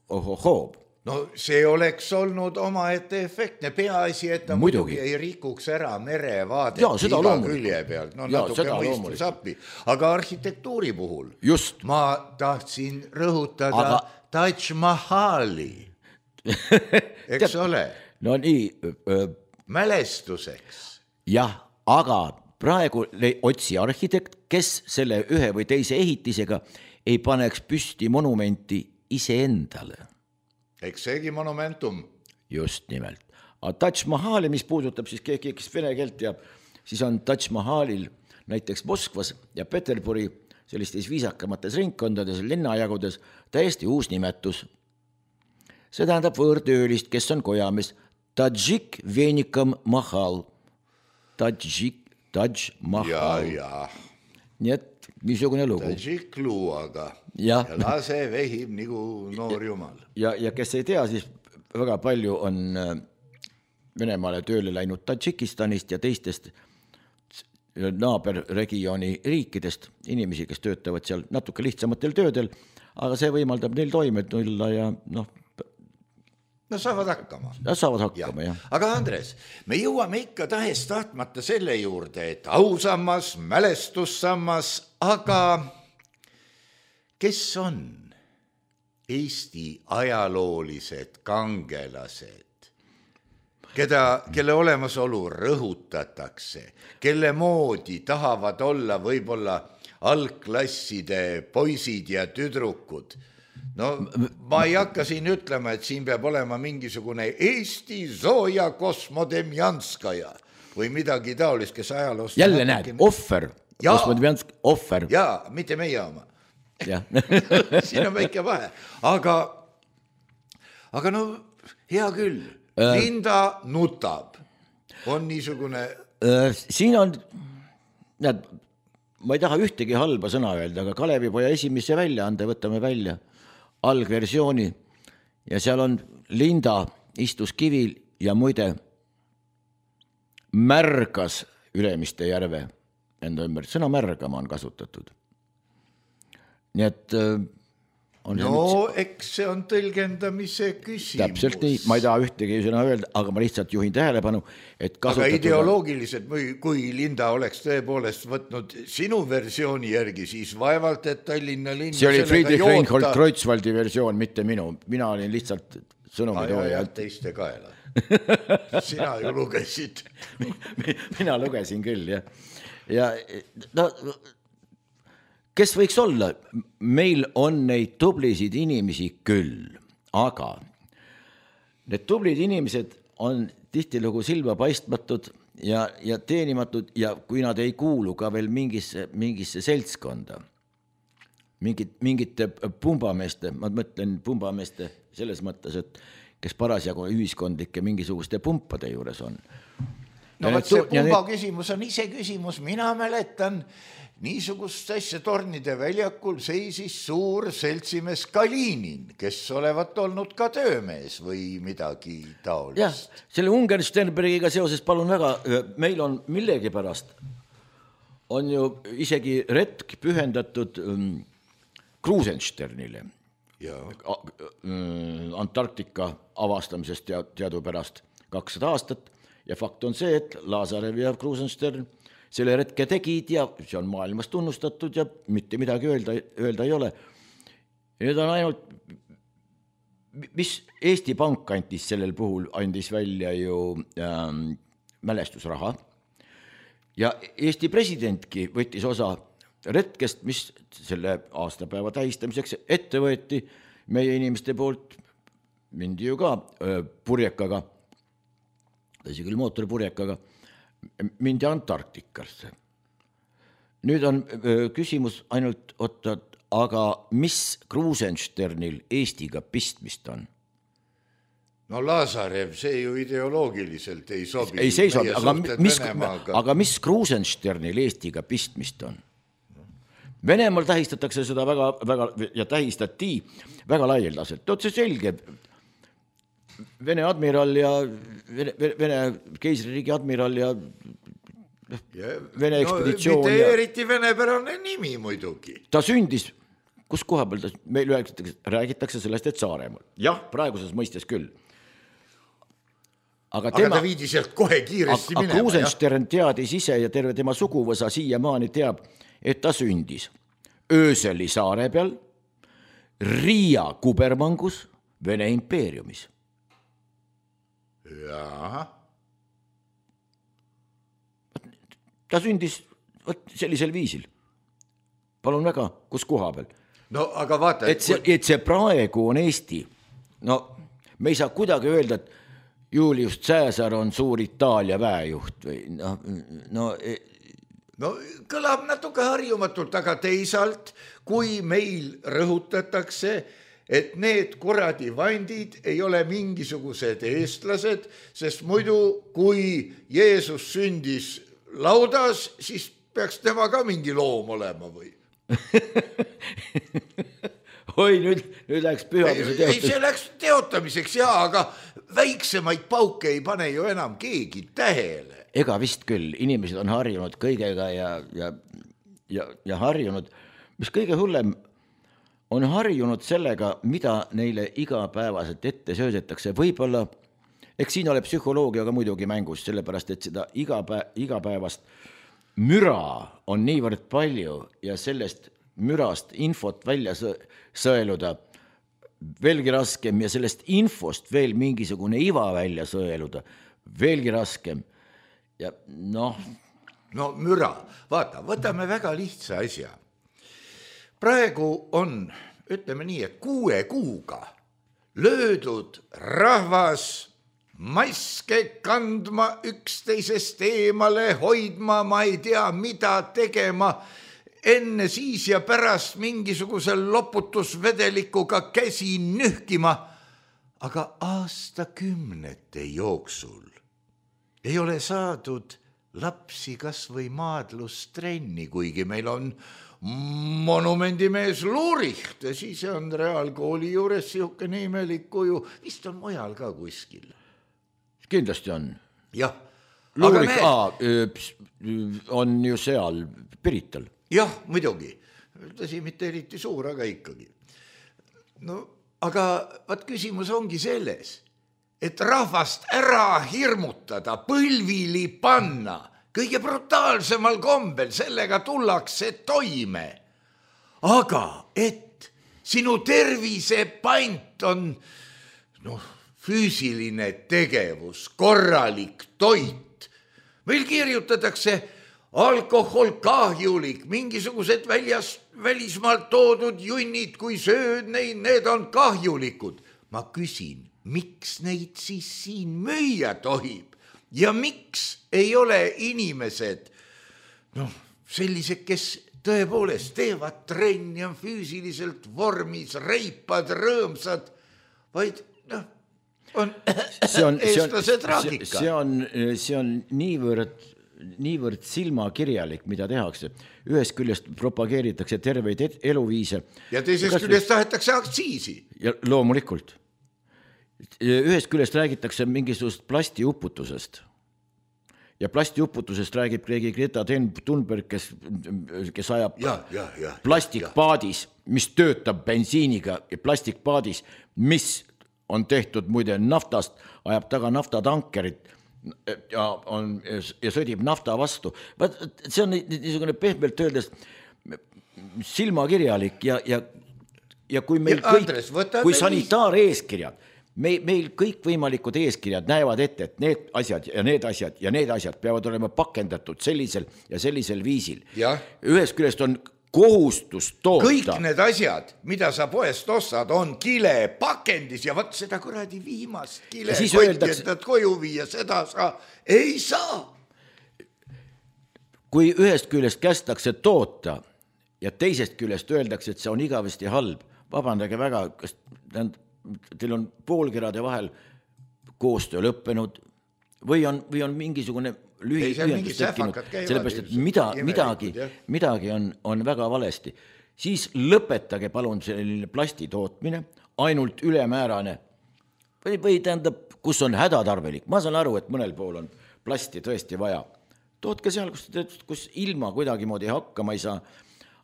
ohohoo. No see oleks olnud omaette efektne, peaasi, et ta muidugi ei rikuks ära merevaadet iga külje pealt, natuke mõistus appi. Aga arhitektuuri puhul ma tahtsin rõhutada Taj Mahali, eks ole? No nii. Mälestuseks. Jah, aga praegu otsi arhitekt, kes selle ühe või teise ehitisega ei paneks püsti monumenti iseendale. Eks seegi monumentum. Just nimelt. Aga Taj Mahali, mis puudutab siis keegi, kes vene keelt teab, siis on Taj Mahalil näiteks Moskvas ja Peterburi sellistes viisakamates ringkondades, linnajagudes täiesti uus nimetus. See tähendab võõrtöölist, kes on kojamees. Tadžik Venikam Mahal. Taj Mahal. Ja. Nii et niisugune lugu. Tadžik luuaga. Ja lase vehib nagu noor jumal. Ja kes ei tea, siis väga palju on Venemaale tööle läinud Tadžikistanist ja teistest naaberregiooni riikidest inimesi, kes töötavad seal natuke lihtsamatel töödel, aga see võimaldab neil toime tulla ja No saavad hakkama. Saavad hakkama, jah. Aga Andres, me jõuame ikka tahes tahtmata selle juurde, et ausammas, mälestussammas, aga kes on Eesti ajaloolised kangelased, kelle olemasolu rõhutatakse, kelle moodi tahavad olla võib-olla algklasside poisid ja tüdrukud? No ma ei hakka siin ütlema, et siin peab olema mingisugune Eesti Zoja Kosmodemjanskaja või midagi taolist, kes ajaloost... Jälle näed, ohver. Ohver. Jaa, mitte meie oma. Siin on väike vahe. Aga no hea küll. Linda nutab. On niisugune... Siin on... Näed, ma ei taha ühtegi halba sõna öelda, aga Kalevipoja esimesse väljaande võtame välja algversiooni ja seal on Linda istus kivil ja muide märgas Ülemiste järve enda ümber. Sõna märgama on kasutatud. Nii et eks see on tõlgendamise küsimus. Täpselt nii, ma ei taha ühtegi sõna öelda, aga ma lihtsalt juhin tähelepanu, et aga ideoloogiliselt, kui Linda oleks tõepoolest võtnud sinu versiooni järgi, siis vaevalt, et Tallinna linn... See oli Friedrich Reinhold Kreutzwaldi versioon, mitte minu. Mina olin lihtsalt sõnumitooja. Teiste kaela. Sina ju lugesid. Mina lugesin küll, jah. Ja kes võiks olla? Meil on neid tublisid inimesi küll, aga need tublid inimesed on tihtilugu silma paistmatud ja teenimatud ja kui nad ei kuulu ka veel mingisse seltskonda, mingite pumbameeste, ma mõtlen pumbameeste selles mõttes, et kes parasjagu ühiskondlike mingisuguste pumpade juures on. No see pumba küsimus on ise küsimus, mina mäletan, niisugust asja Tornide väljakul seisis suur seltsimees Kalinin, kes olevat olnud ka töömees või midagi taolist. Jah, selle Ungersternbergiga seoses palun väga, meil on millegipärast, on ju isegi retk pühendatud Krusensternile. Antarktika avastamisest teadupärast 200 aastat ja fakt on see, et Lazarev ja Krusenstern selle retke tegid ja see on maailmas tunnustatud ja mitte midagi öelda ei ole. Need on ainult, mis Eesti Pank andis sellel puhul, andis välja ju mälestusraha ja Eesti presidentki võttis osa retkest, mis selle aastapäeva tähistamiseks ette võeti meie inimeste poolt, mindi ju ka purjekaga, tõsi küll mootorpurjekaga, mindi Antarktikasse. Nüüd on küsimus ainult, aga mis Krusensternil Eestiga pistmist on? No Lazarev, see ju ideoloogiliselt ei sobi. Ei sobi, aga mis Krusensternil Eestiga pistmist on? Venemaal tähistatakse seda väga ja tähistati väga laialdaselt. See selge. Vene admiral ja Vene keisririigi admiral ja Vene ekspeditsioon. Mitte eriti venepärane nimi muidugi. Ta sündis, kus koha peal meil räägitakse sellest, et Saaremaal. Jah, praeguses mõistes küll. Aga ta viidi sealt kohe kiiresti minema. Aga Krusenstern teadis ise ja terve tema suguvõsa siiamaani teab, et ta sündis Ööseli saare peal, Riia kubermangus, Vene impeeriumis. Jaa. ta sündis sellisel viisil. Palun väga, kus koha peal? No aga vaata, et see praegu on Eesti. No me ei saa kuidagi öelda, et Julius Caesar on suur Itaalia väejuht või no kõlab natuke harjumatult, aga teisalt, kui meil rõhutatakse, et need kuradi vandid ei ole mingisugused eestlased, sest muidu, kui Jeesus sündis laudas, siis peaks tema ka mingi loom olema või? Oi, nüüd läks pühaduse teotamiseks. Ei, see läks teotamiseks, jaa, aga väiksemaid pauke ei pane ju enam keegi tähele. Ega vist küll, inimesed on harjunud kõigega ja harjunud, mis kõige hullem, on harjunud sellega, mida neile igapäevaselt ette söödetakse. Võib-olla, eks siin ole psühholoogia ka muidugi mängus, sellepärast, et seda igapäevast müra on niivõrd palju ja sellest mürast infot välja sõeluda veelgi raskem ja sellest infost veel mingisugune iva välja sõeluda veelgi raskem. Ja No müra, vaata, võtame väga lihtsa asja. Praegu on, ütleme nii, et 6 kuuga löödud rahvas maske kandma, üksteisest eemale hoidma, ma ei tea, mida tegema, enne siis ja pärast mingisugusel loputusvedelikuga käsi nühkima, aga aastakümnete jooksul ei ole saadud lapsi kas või maadlustrenni, kuigi meil on monumendimees Luricht ja siis on reaalkooli juures siukene imelik kuju, vist on mujal ka kuskil. Kindlasti on. Jah. Luricht on ju seal Pirital. Jah, muidugi. Tõsi, mitte eriti suur, aga ikkagi. Aga vaat küsimus ongi selles, et rahvast ära hirmutada, põlvili panna, kõige brutaalsemal kombel, sellega tullakse toime. Aga et sinu tervise pant on füüsiline tegevus, korralik toit. Meil kirjutatakse alkohol kahjulik, mingisugused välismaalt toodud junnid, kui sööd neid, need on kahjulikud. Ma küsin, miks neid siis siin müüa tohib ja miks ei ole inimesed sellised, kes tõepoolest teevad trenni, on füüsiliselt vormis, reipad, rõõmsad, vaid on eestlase traagika. See on niivõrd silmakirjalik, mida tehakse. Ühest küljest propageeritakse terveid eluviise. Ja teisest küljest tahetakse aktsiisi. Ja loomulikult. Ühest küljest räägitakse mingisugust plastiuputusest. Ja plastiuputusest räägib Greta Thunberg, kes ajab plastikpaadis, mis töötab bensiiniga ja plastikpaadis, mis on tehtud muide naftast, ajab taga naftatankerit ja sõdib nafta vastu. See on niisugune pehmelt öeldes silmakirjalik ja kui meil kui sanitaareeskirjad, meil kõik võimalikud eeskirjad näevad ette, et need asjad ja need asjad ja need asjad peavad olema pakendatud sellisel ja sellisel viisil. Ühest küljest on kohustus toota. Kõik need asjad, mida sa poest ostad, on kile pakendis ja võt seda kuradi viimast kile koitjentad koju viia, seda sa ei saa. Kui ühest küljest kästakse toota ja teisest küljest öeldakse, et see on igavesti halb, vabandage väga, kas teil on poolkerade vahel koostöö lõppenud või on mingisugune lühiühendus tekkinud, sellepärast, et midagi on väga valesti. Siis lõpetage palun selline plasti tootmine, ainult ülemäärane või tähendab, kus on hädatarvelik. Ma saan aru, et mõnel pool on plasti tõesti vaja. Tootke seal, kus ilma kuidagi moodi hakkama ei saa.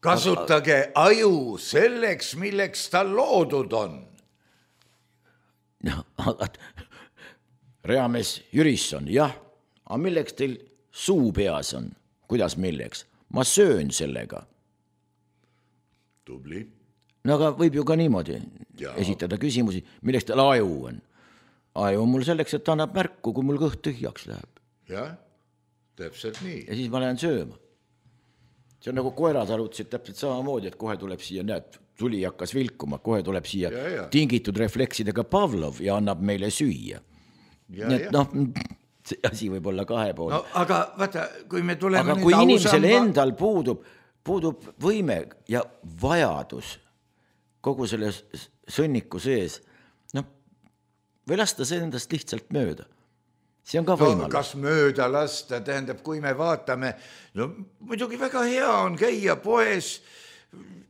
Kasutage aju selleks, milleks ta loodud on. Reamees Jürisson, jah. Aga milleks teil suu peas on? Kuidas milleks? Ma söön sellega. Tubli. No aga võib ju ka niimoodi esitada küsimusi, milleks teil aju on. Aju on mul selleks, et annab märku, kui mul kõht tühjaks läheb. Jah. täpselt nii. Ja siis ma lähen sööma. See on nagu koerad arvutasid täpselt samamoodi, et kohe tuleb siia, näed, tuli hakkas vilkuma, kohe tuleb siia tingitud refleksidega Pavlov ja annab meile süüa. Nii et noh, see asi võib olla kahepoolne. No aga vaata, kui me tuleme aga kui inimesel endal puudub võime ja vajadus kogu selle sõnniku sees, noh, või lasta see endast lihtsalt mööda. See on ka võimalus. Kas mööda lasta, tähendab, kui me vaatame, no muidugi väga hea on käia poes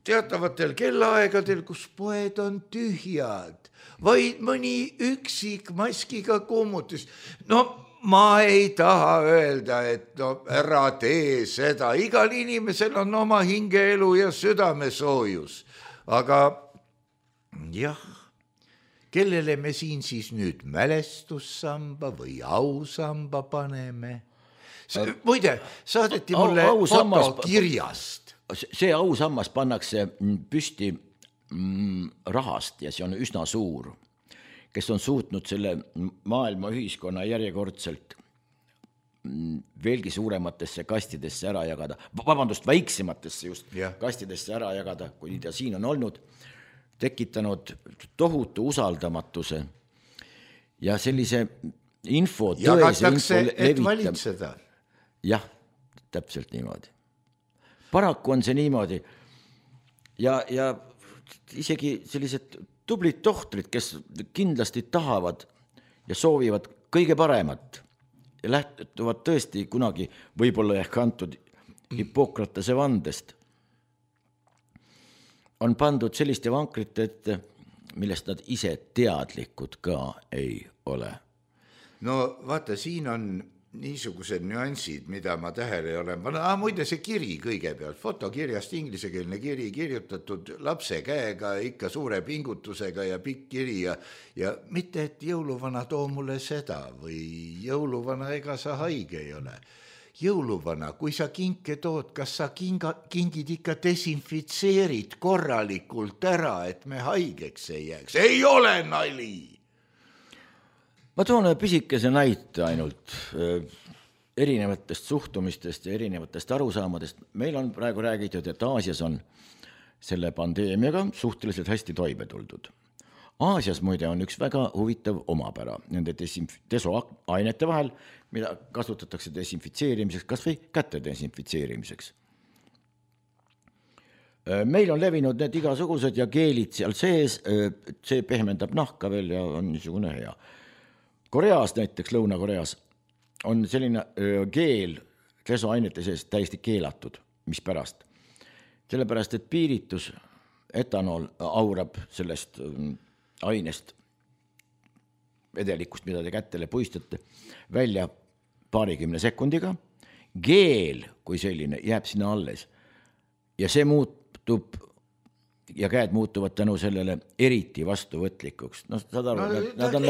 teatavatel kellaaegadel, kus poed on tühjad, vaid mõni üksik maskiga kummutis. No ma ei taha öelda, et no ära tee seda, igal inimesel on oma hingeelu ja südamesoojus, aga jah, kellele me siin siis nüüd mälestussamba või ausamba paneme? Muide, saadeti mulle foto kirjast. See ausammas pannakse püsti rahast ja see on üsna suur, kes on suutnud selle maailma ühiskonna järjekordselt veelgi suurematesse kastidesse ära jagada, vabandust, väiksematesse just kastidesse ära jagada, kui ta siin on olnud, tekitanud tohutu usaldamatuse ja sellise info jagatakse, et valitseda. Jah, täpselt niimoodi. Paraku on see niimoodi ja isegi sellised tublid tohtrid, kes kindlasti tahavad ja soovivad kõige paremat ja lähtuvad tõesti kunagi võib-olla ehk antud Hippokratese vandest, on pandud selliste vankrite ette, millest nad ise teadlikud ka ei ole. No vaata, siin on niisugused nüansid, mida ma tähele olen. Muide see kiri kõigepealt, fotokirjast inglisekeelne kiri kirjutatud lapse käega ikka suure pingutusega ja pikk kiri ja mitte, et jõuluvana too mulle seda või jõuluvana ega sa haige ei ole. Jõuluvana, kui sa kinke tood, kas sa kingid ikka desinfitseerid korralikult ära, et me haigeks ei jääks? Ei ole nali! Ma toon pisikese näite ainult erinevatest suhtumistest ja erinevatest arusaamadest. Meil on praegu räägitud, et Aasias on selle pandeemiaga suhteliselt hästi toime tuldud. Aasias muide on üks väga huvitav omapära nende desoainete vahel, mida kasutatakse desinfitseerimiseks, kas või käte desinfitseerimiseks. Meil on levinud need igasugused ja keelid seal sees, see pehmendab nahka veel ja on niisugune hea. Koreas näiteks, Lõuna-Koreas on selline keel desoainete sees täiesti keelatud, mis pärast. Sellepärast, et piiritus, etanool aurab sellest ainest vedelikust, mida te kättele puistate, välja 20 sekundiga. Geel kui selline jääb sinna alles ja see muutub ja käed muutuvad tänu sellele eriti vastuvõtlikuks. No, saad aru, nad on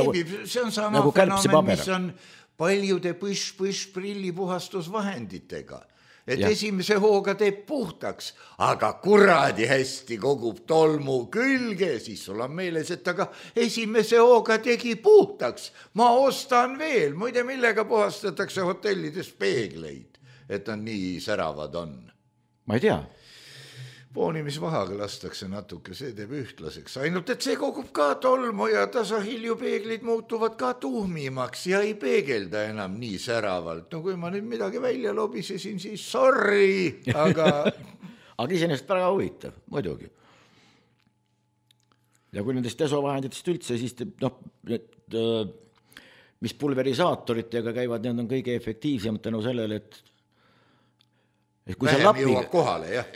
see on sama nagu fenomen, mis on paljude prillipuhastusvahenditega. Et esimese hooga teeb puhtaks, aga kuradi hästi kogub tolmu külge, siis sul on meeles, et aga esimese hooga tegi puhtaks. Ma ostan veel, muide millega puhastatakse hotellides peegleid, et on nii säravad on. Ma ei tea. Poonimisvahaga lastakse natuke, see teeb ühtlaseks. Ainult, et see kogub ka tolmu ja tasahiljupeeglid muutuvad ka tuhmimaks ja ei peegelda enam nii säravalt. No kui ma nüüd midagi välja lobisesin, siis sorry, aga... Aga iseenesest väga huvitav, muidugi. Ja kui nendest desovahenditest üldse, siis mis pulverisaatoritega käivad, need on kõige efektiivsemad tänu sellele, et kui vähem jõuab kohale, jah.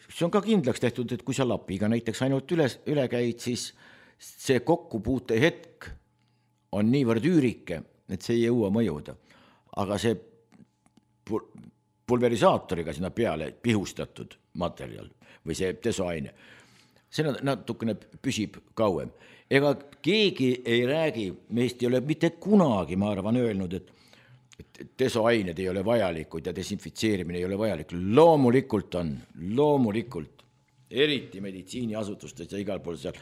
See on ka kindlaks tehtud, et kui sa lapiga näiteks ainult üle käid, siis see kokkupuute hetk on niivõrd üürike, et see ei jõua mõjuda. Aga see pulverisaatoriga sinna peale pihustatud materjal või see desoaine, see natukene püsib kauem. Ega keegi ei räägi, meist ei ole mitte kunagi, ma arvan, öelnud, et desoained ei ole vajalikud ja desinfitseerimine ei ole vajalik. Loomulikult on, eriti meditsiiniasutustes ja igal pool seal.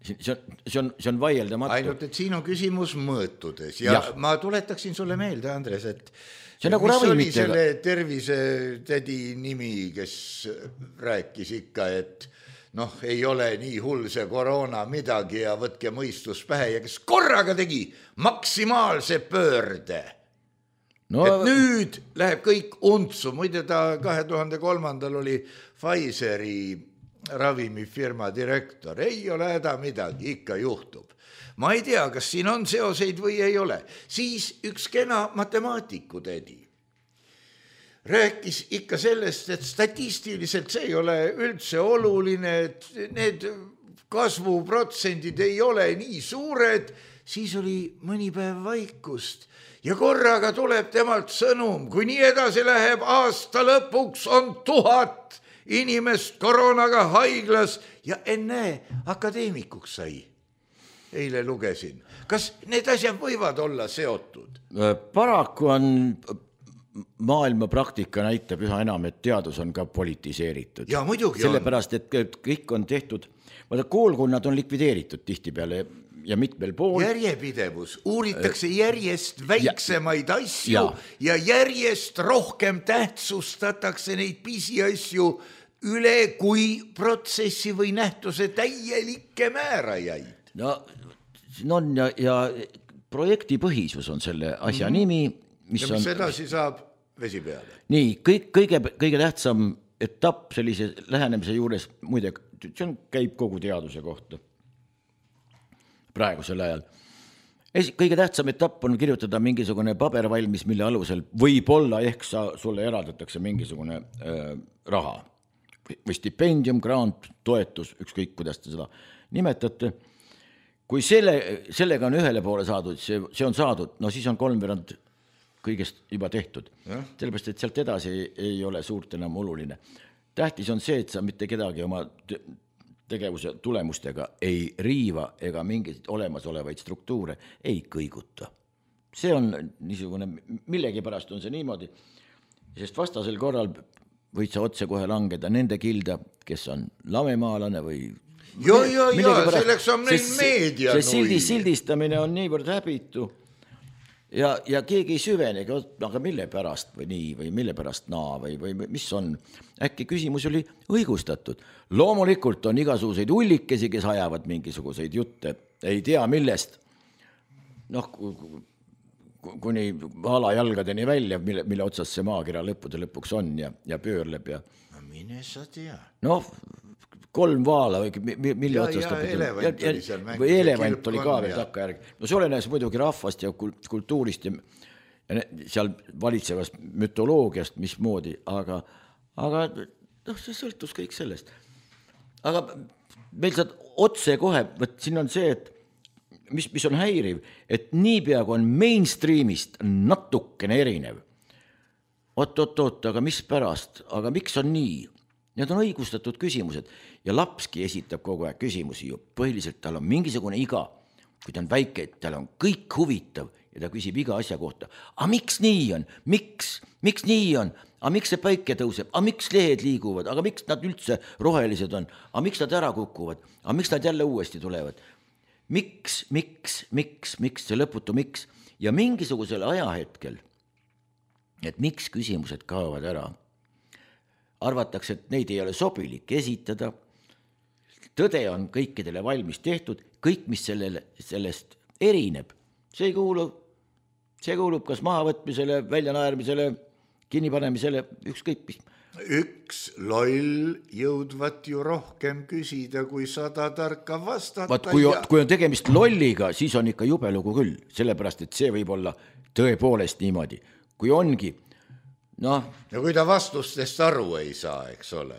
see on vaieldamatu. Ainult, et siin on küsimus mõõtudes ja ma tuletaksin sulle meelde, Andres, et see on nagu mis oli ravimitega. selle tervisetädi nimi, kes rääkis ikka, et noh, ei ole nii hull see koroona midagi ja võtke mõistus pähe ja kes korraga tegi maksimaalse pöörde. No, et nüüd läheb kõik untsu, muide ta 2003. oli Pfizeri ravimifirma direktor, ei ole häda midagi, ikka juhtub. Ma ei tea, kas siin on seoseid või ei ole. Siis üks kena matemaatiku tädi rääkis ikka sellest, et statistiliselt see ei ole üldse oluline, et need kasvuprotsendid ei ole nii suured, siis oli mõni päev vaikust. Ja korraga tuleb temalt sõnum, kui nii edasi läheb, aasta lõpuks on 1000 inimest koroonaga haiglas ja enne akadeemikuks sai. Eile lugesin. Kas need asjad võivad olla seotud? Paraku on maailma praktika näitab üha enam, et teadus on ka politiseeritud. Ja muidugi sellepärast, et kõik on tehtud, koolkonnad on likvideeritud tihtipeale ja mitmel pool. Järjepidevus, uuritakse järjest väiksemaid asju ja järjest rohkem tähtsustatakse neid pisiasju üle kui protsessi või nähtuse täielikke määrajaid. No on ja projektipõhisus on selle asja nimi. Mis edasi saab vesi peale? Nii, kõige tähtsam etapp sellise lähenemise juures, muide, see käib kogu teaduse kohta praegusel ajal. Kõige tähtsam etapp on kirjutada mingisugune paber valmis, mille alusel võib-olla ehk sulle eraldatakse mingisugune raha või stipendium, grant, toetus, ükskõik kuidas te seda nimetate. Kui sellega on ühele poole saadud, see on saadud, no siis on 3/4 kõigest juba tehtud. Sellepärast, et sealt edasi ei ole suurt enam oluline. Tähtis on see, et sa mitte kedagi oma tegevuse tulemustega ei riiva ega mingeid olemasolevaid struktuure ei kõiguta. See on niisugune, millegi pärast on see niimoodi, sest vastasel korral võid sa otse kohe langeda nende kilda, kes on lamemaalane või selleks on meil meedia. See sildistamine on niivõrd häbitu ja keegi ei süvenegi, aga mille pärast või nii või mille pärast naa või mis on. Äkki küsimus oli õigustatud. Loomulikult on igasuguseid ullikesi, kes ajavad mingisuguseid jutte, ei tea millest. Noh, kuni alajalgadeni välja, mille otsas see maakera lõpuks on ja pöörleb ja. No mine sa tea. Noh, 3 vaala või mille otsast või elevant oli ka veel takkajärg. No see olenes muidugi rahvast ja kultuurist ja seal valitsevast mütoloogiast mismoodi, aga see sõltus kõik sellest. Aga meil saad otse kohe, siin on see, et mis on häiriv, et niipea kui on mainstreamist natukene erinev. Oot, aga mis pärast, aga miks on nii? Need on õigustatud küsimused ja lapski esitab kogu aeg küsimusi ju. Põhiliselt tal on mingisugune iga, kui ta on väike, et tal on kõik huvitav ja ta küsib iga asja kohta. A miks nii on? Miks nii on? A miks see päike tõuseb? A miks lehed liiguvad? Aga miks nad üldse rohelised on? A miks nad ära kukuvad? A miks nad jälle uuesti tulevad? Miks, see lõputu miks? Ja mingisugusel ajahetkel, et miks küsimused kaovad ära? Arvatakse, et neid ei ole sobilik esitada. Tõde on kõikidele valmis tehtud, kõik, mis sellest erineb. See kuulub kas mahavõtmisele, väljanaermisele, kinnipanemisele, ükskõik mis. Üks loll jõudvat ju rohkem küsida, kui 100 tarka vastata. Kui on tegemist lolliga, siis on ikka jube lugu küll, sellepärast, et see võib olla tõepoolest niimoodi. Kui ongi, ja kui ta vastustest aru ei saa, eks ole.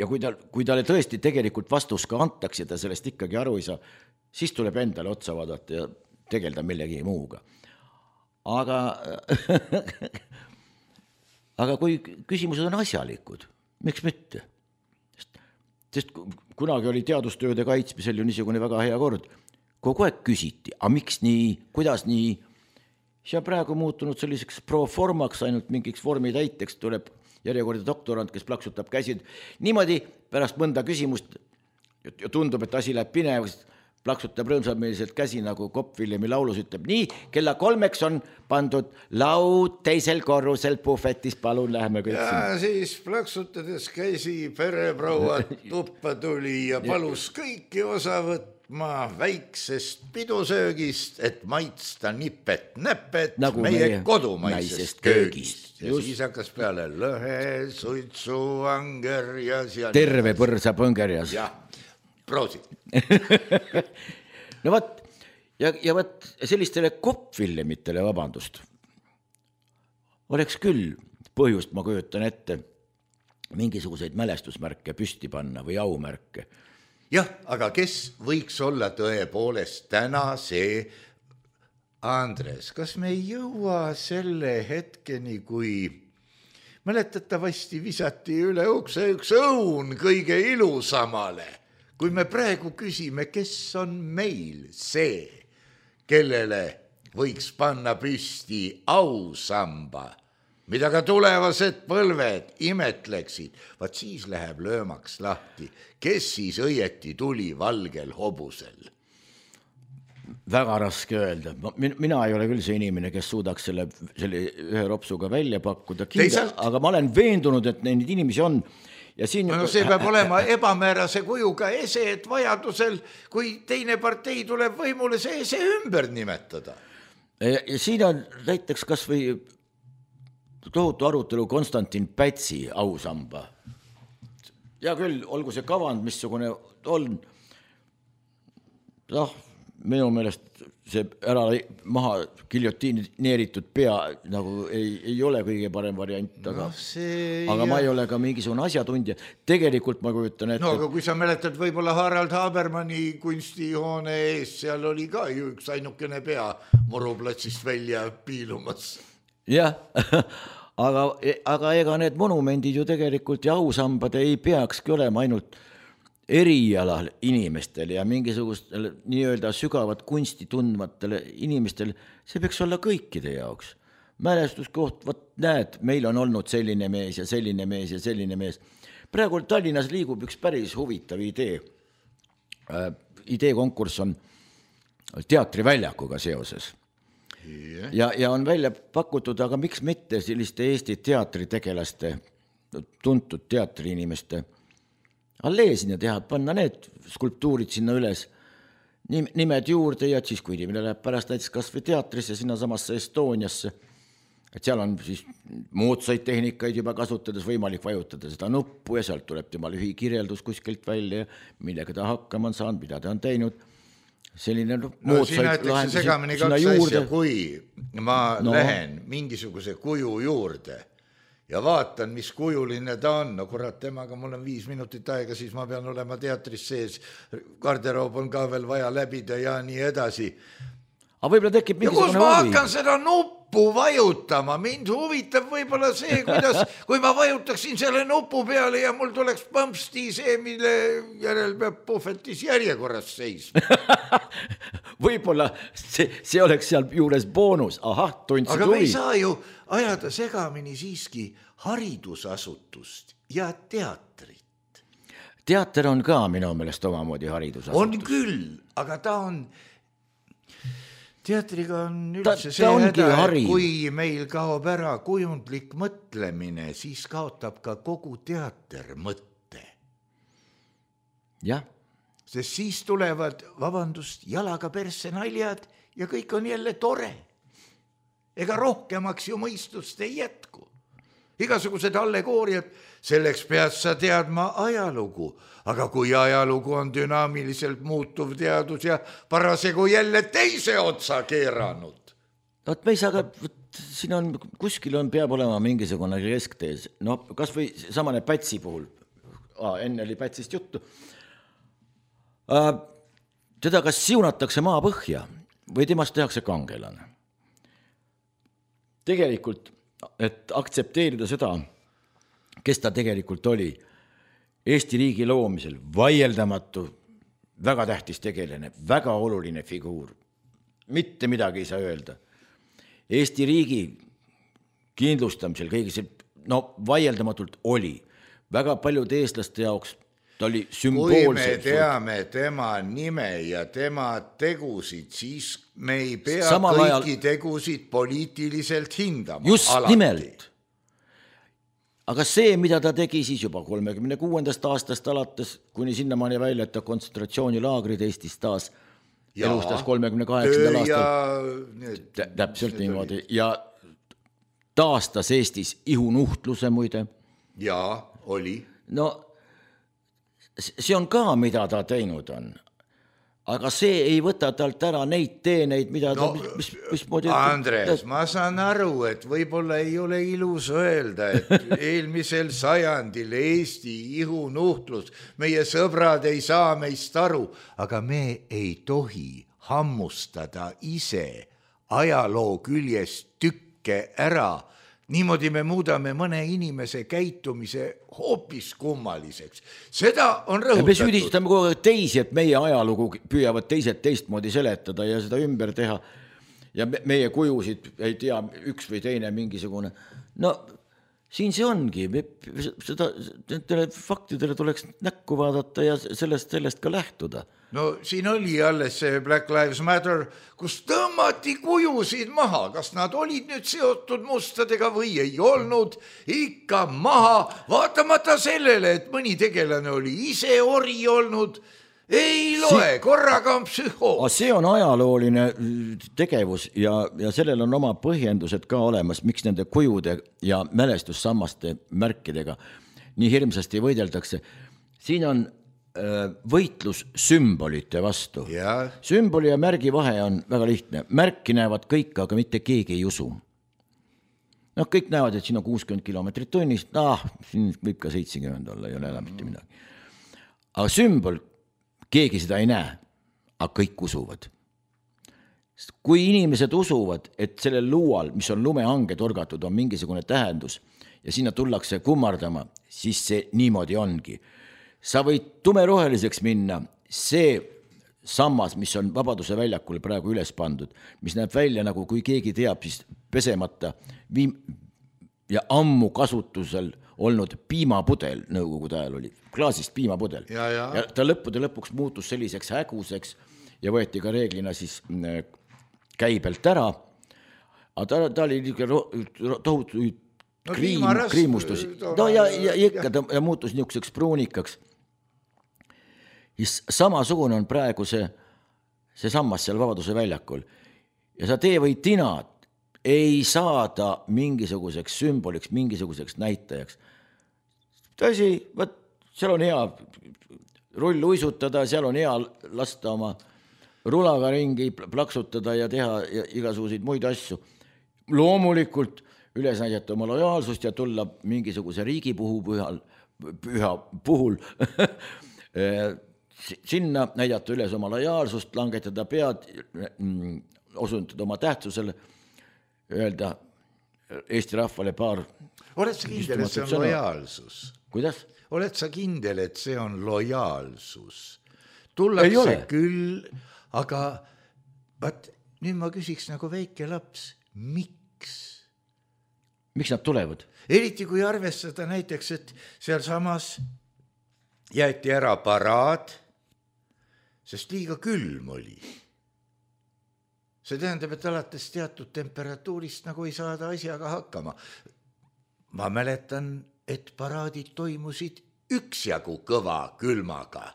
Ja kui talle tõesti tegelikult vastus ka antaks ja ta sellest ikkagi aru ei saa, siis tuleb endale otsa vaadata ja tegelda millegi muuga. Aga kui küsimused on asjalikud, miks mitte? Sest kunagi oli teadustööde kaitsmisel ju niisugune väga hea kord. Kogu aeg küsiti, aga miks nii, kuidas nii? See on praegu muutunud selliseks proformaks, ainult mingiks vormi täiteks tuleb järjekordne doktorant, kes plaksutab käsid. Niimoodi pärast mõnda küsimust ja tundub, et asi läheb pinevust, plaksutab rõõmsameelselt käsi, nagu Kopp Villemi laulus ütleb, nii, kella 3 on pandud laud teisel korrusel puhvetis, palun läheme kõik ja sinna. siis plaksutades käsi pereproua tuppa tuli ja palus kõiki osa võtma väiksest pidusöögist, et maitsta nipet-näpet Nagu meie meie kodumaisest naisest köögist. köögist. Ja Just. siis hakkas peale lõhe, suitsu, anger ja seal. Terve põrsa põngerjas. jah, proosi. No võt, ja võt sellistele Kopp Villemitele, vabandust, oleks küll põhjust, ma kujutan ette, mingisuguseid mälestusmärke püsti panna või aumärke. jah, aga kes võiks olla tõepoolest täna see Andres, kas me ei jõua selle hetkeni, kui mäletatavasti visati üle ukse üks õun kõige ilusamale, kui me praegu küsime, kes on meil see, kellele võiks panna püsti ausamba, mida ka tulevased põlved imetleksid, vaat siis läheb löömaks lahti, kes siis õieti tuli valgel hobusel. Väga raske öelda. Mina ei ole küll see inimene, kes suudaks selle ühe ropsuga välja pakkuda, aga ma olen veendunud, et neid inimesi on. Ja siin... No see peab olema ebamäärase kujuga ese, et vajadusel, kui teine partei tuleb võimule, see ese ümber nimetada. Ja siin on näiteks kas või tohutu arutelu Konstantin Pätsi ausamba. Ja küll, olgu see kavand, missugune on. Minu meelest see ära maha giljotineeritud pea nagu ei ole kõige parem variant, aga ma ei ole ka mingisugune asjatundja. Tegelikult ma kujutan ette... No aga kui sa mäletad võib-olla Harald Habermanni kunstihoone ees, seal oli ka ju üks ainukene pea Muruplatsist välja piilumas. Jah, aga ega need monumendid ju tegelikult ja ausambad ei peakski olema ainult erialal inimestel ja mingisugustel nii-öelda sügavat kunsti tundmatele inimestel, see peaks olla kõikide jaoks. Mälestuskoht, võt näed, meil on olnud selline mees ja selline mees ja selline mees. Praegu Tallinnas liigub üks päris huvitav idee. Ideekonkurss on teatriväljakuga seoses. Ja on välja pakutud, aga miks mitte selliste Eesti teatritegelaste, tuntud teatriinimeste allee sinna teha, panna need skulptuurid sinna üles, nimed juurde ja siis, kui inimene läheb pärast näiteks kas või teatrisse, sinna samasse Estoniasse, et seal on siis moodsaid tehnikaid juba kasutades võimalik vajutada seda nuppu ja sealt tuleb tema lühikirjeldus kuskilt välja, millega ta hakkama on saanud, mida ta on teinud. Selline moodsaid lahendusi sinna juurde. Kui ma lähen mingisuguse kuju juurde, ja vaatan, mis kujuline ta on. No kurat, temaga mul on 5 minutit aega, siis ma pean olema teatris sees. Garderoob on ka veel vaja läbida ja nii edasi. Aga võib-olla tekib ja kus ma hakkan seda nuppu vajutama? Mind huvitab võib-olla see, kuidas, kui ma vajutaksin selle nupu peale ja mul tuleks põmpsti see, mille järel peab puhvetis järjekorras seisma. Võib-olla see oleks seal juures boonus. Aha, tundsid aga huvi. me ei saa ju ajada segamini siiski haridusasutust ja teatrit. Teater on ka minu meelest omamoodi haridusasutus. On küll, aga ta on... Teatriga on üldse see häda, et kui meil kaob ära kujundlik mõtlemine, siis kaotab ka kogu teater mõtte. Jah. Sest siis tulevad, vabandust, jalaga persse naljad ja kõik on jälle tore. Ega rohkemaks ju mõistust ei jätku. Igasugused allegooriad, selleks pead sa teadma ajalugu, aga kui ajalugu on dünaamiliselt muutuv teadus ja parasegu jälle teise otsa keeranud. Võt me ei saa ka, siin on, kuskil peab olema mingisugune kesktees, no kas või samane Pätsi puhul, enne oli Pätsist juttu, teda kas siunatakse maa põhja või temast tehakse kangelane. Tegelikult, et aktsepteerida seda, kes ta tegelikult oli, Eesti riigi loomisel vaieldamatu, väga tähtis tegelane, väga oluline figuur, mitte midagi ei saa öelda. Eesti riigi kindlustamisel kõigi see, no vaieldamatult oli väga paljude eestlaste jaoks ta oli kui me sümboolselt. teame tema nime ja tema tegusid, siis me ei pea Samal kõiki tegusid poliitiliselt hindama. Just alati. Nimelt. Aga see, mida ta tegi siis juba 36. aastast alates, kuni sinnamaani välja, et ta kontsentratsioonilaagrid Eestis taas elustas 38. aastal. Täpselt niimoodi. Ja taastas Eestis ihunuhtluse muide. Jaa, oli. No see on ka, mida ta teinud on. Aga see ei võta talt ära neid teeneid, mida ta... Andres, ma saan aru, et võib-olla ei ole ilus öelda, et eelmisel sajandil Eesti ihunuhtlus, meie sõbrad ei saa meist aru, aga me ei tohi hammustada ise ajaloo küljest tükke ära. Niimoodi me muudame mõne inimese käitumise hoopis kummaliseks. Seda on rõhutatud. Me süüdistame kogu aeg teisi, et meie ajalugu püüavad teised teistmoodi seletada ja seda ümber teha. Ja meie kujusid ei tea üks või teine mingisugune. No siin see ongi. Nendele faktidele tuleks näkku vaadata ja sellest ka lähtuda. No siin oli alles see Black Lives Matter, kus tõmmati kujusid maha. Kas nad olid nüüd seotud mustadega või ei olnud? Ikka maha, vaatamata sellele, et mõni tegelane oli ise ori olnud. Ei loe, korraga on psühhoos. See on ajalooline tegevus ja sellel on oma põhjendused ka olemas, miks nende kujude ja mälestussammaste märkidega nii hirmsasti võideldakse. Siin on võitlus sümbolite vastu. Ja. Sümboli ja märgi vahe on väga lihtne. Märki näevad kõik, aga mitte keegi ei usu. No kõik näevad, et siin on 60 kilomeetrit tunnis. Siin võib ka 70 olla, ei ole enam mitte midagi. Aga sümbol, keegi seda ei näe, aga kõik usuvad. Kui inimesed usuvad, et sellel luual, mis on lumehange torgatud, on mingisugune tähendus ja sinna tullakse kummardama, siis see niimoodi ongi. Sa võid tumeroheliseks minna, see sammas, mis on Vabaduse väljakul praegu üles pandud, mis näeb välja nagu kui keegi teab, siis pesemata ja ammu kasutusel olnud piimapudel, nõukogude ajal oli, klaasist piimapudel. Ja ta lõpuks muutus selliseks häguseks ja võeti ka reeglina siis käibelt ära. Aga ta oli tohutu kriimustus. No ja ikka ta muutus niisuguseks pruunikaks. Samasugune on praegu see sammas seal Vabaduse väljakul. Ja sa tee või tinad ei saada mingisuguseks sümboliks, mingisuguseks näitajaks. Tõsi, seal on hea rull uisutada, seal on hea lasta oma rulaga ringi plaksutada ja teha igasuguseid muid asju. Loomulikult üles näidata oma lojaalsust ja tulla mingisuguse riigi püha puhul sinna näidata üles oma lojaalsust, langetada pead, osutada oma tähtsusele, öelda Eesti rahvale paar. Oled sa kindel, et see on lojaalsus? Kuidas? Oled sa kindel, et see on lojaalsus? Tullakse küll, aga nüüd ma küsiks nagu väike laps, miks? Miks nad tulevad? Eriti kui arvestada näiteks, et seal samas jäeti ära paraad, sest liiga külm oli. See tähendab, et alates teatud temperatuurist nagu ei saada asjaga hakkama. Ma mäletan, et paraadid toimusid üksjagu kõva külmaga.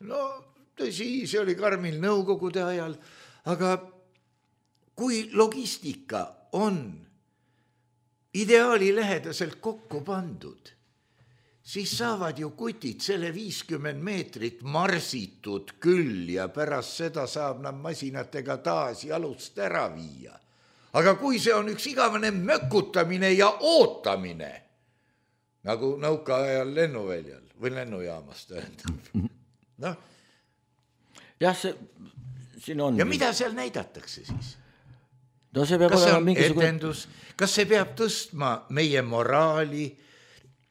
No tõsi, see oli karmil nõukogude ajal, aga kui logistika on ideaali lähedaselt kokku pandud, siis saavad ju kutid selle 50 meetrit marsitud küll ja pärast seda saab nad masinatega taas jalust ära viia. Aga kui see on üks igavene mökutamine ja ootamine, nagu nõuka ajal lennuväljal või lennujaamas tähendab. No. Jah, siin on. Ja mida seal näidatakse siis? No see peab kas see on mingisugune... etendus? Kas see peab tõstma meie moraali?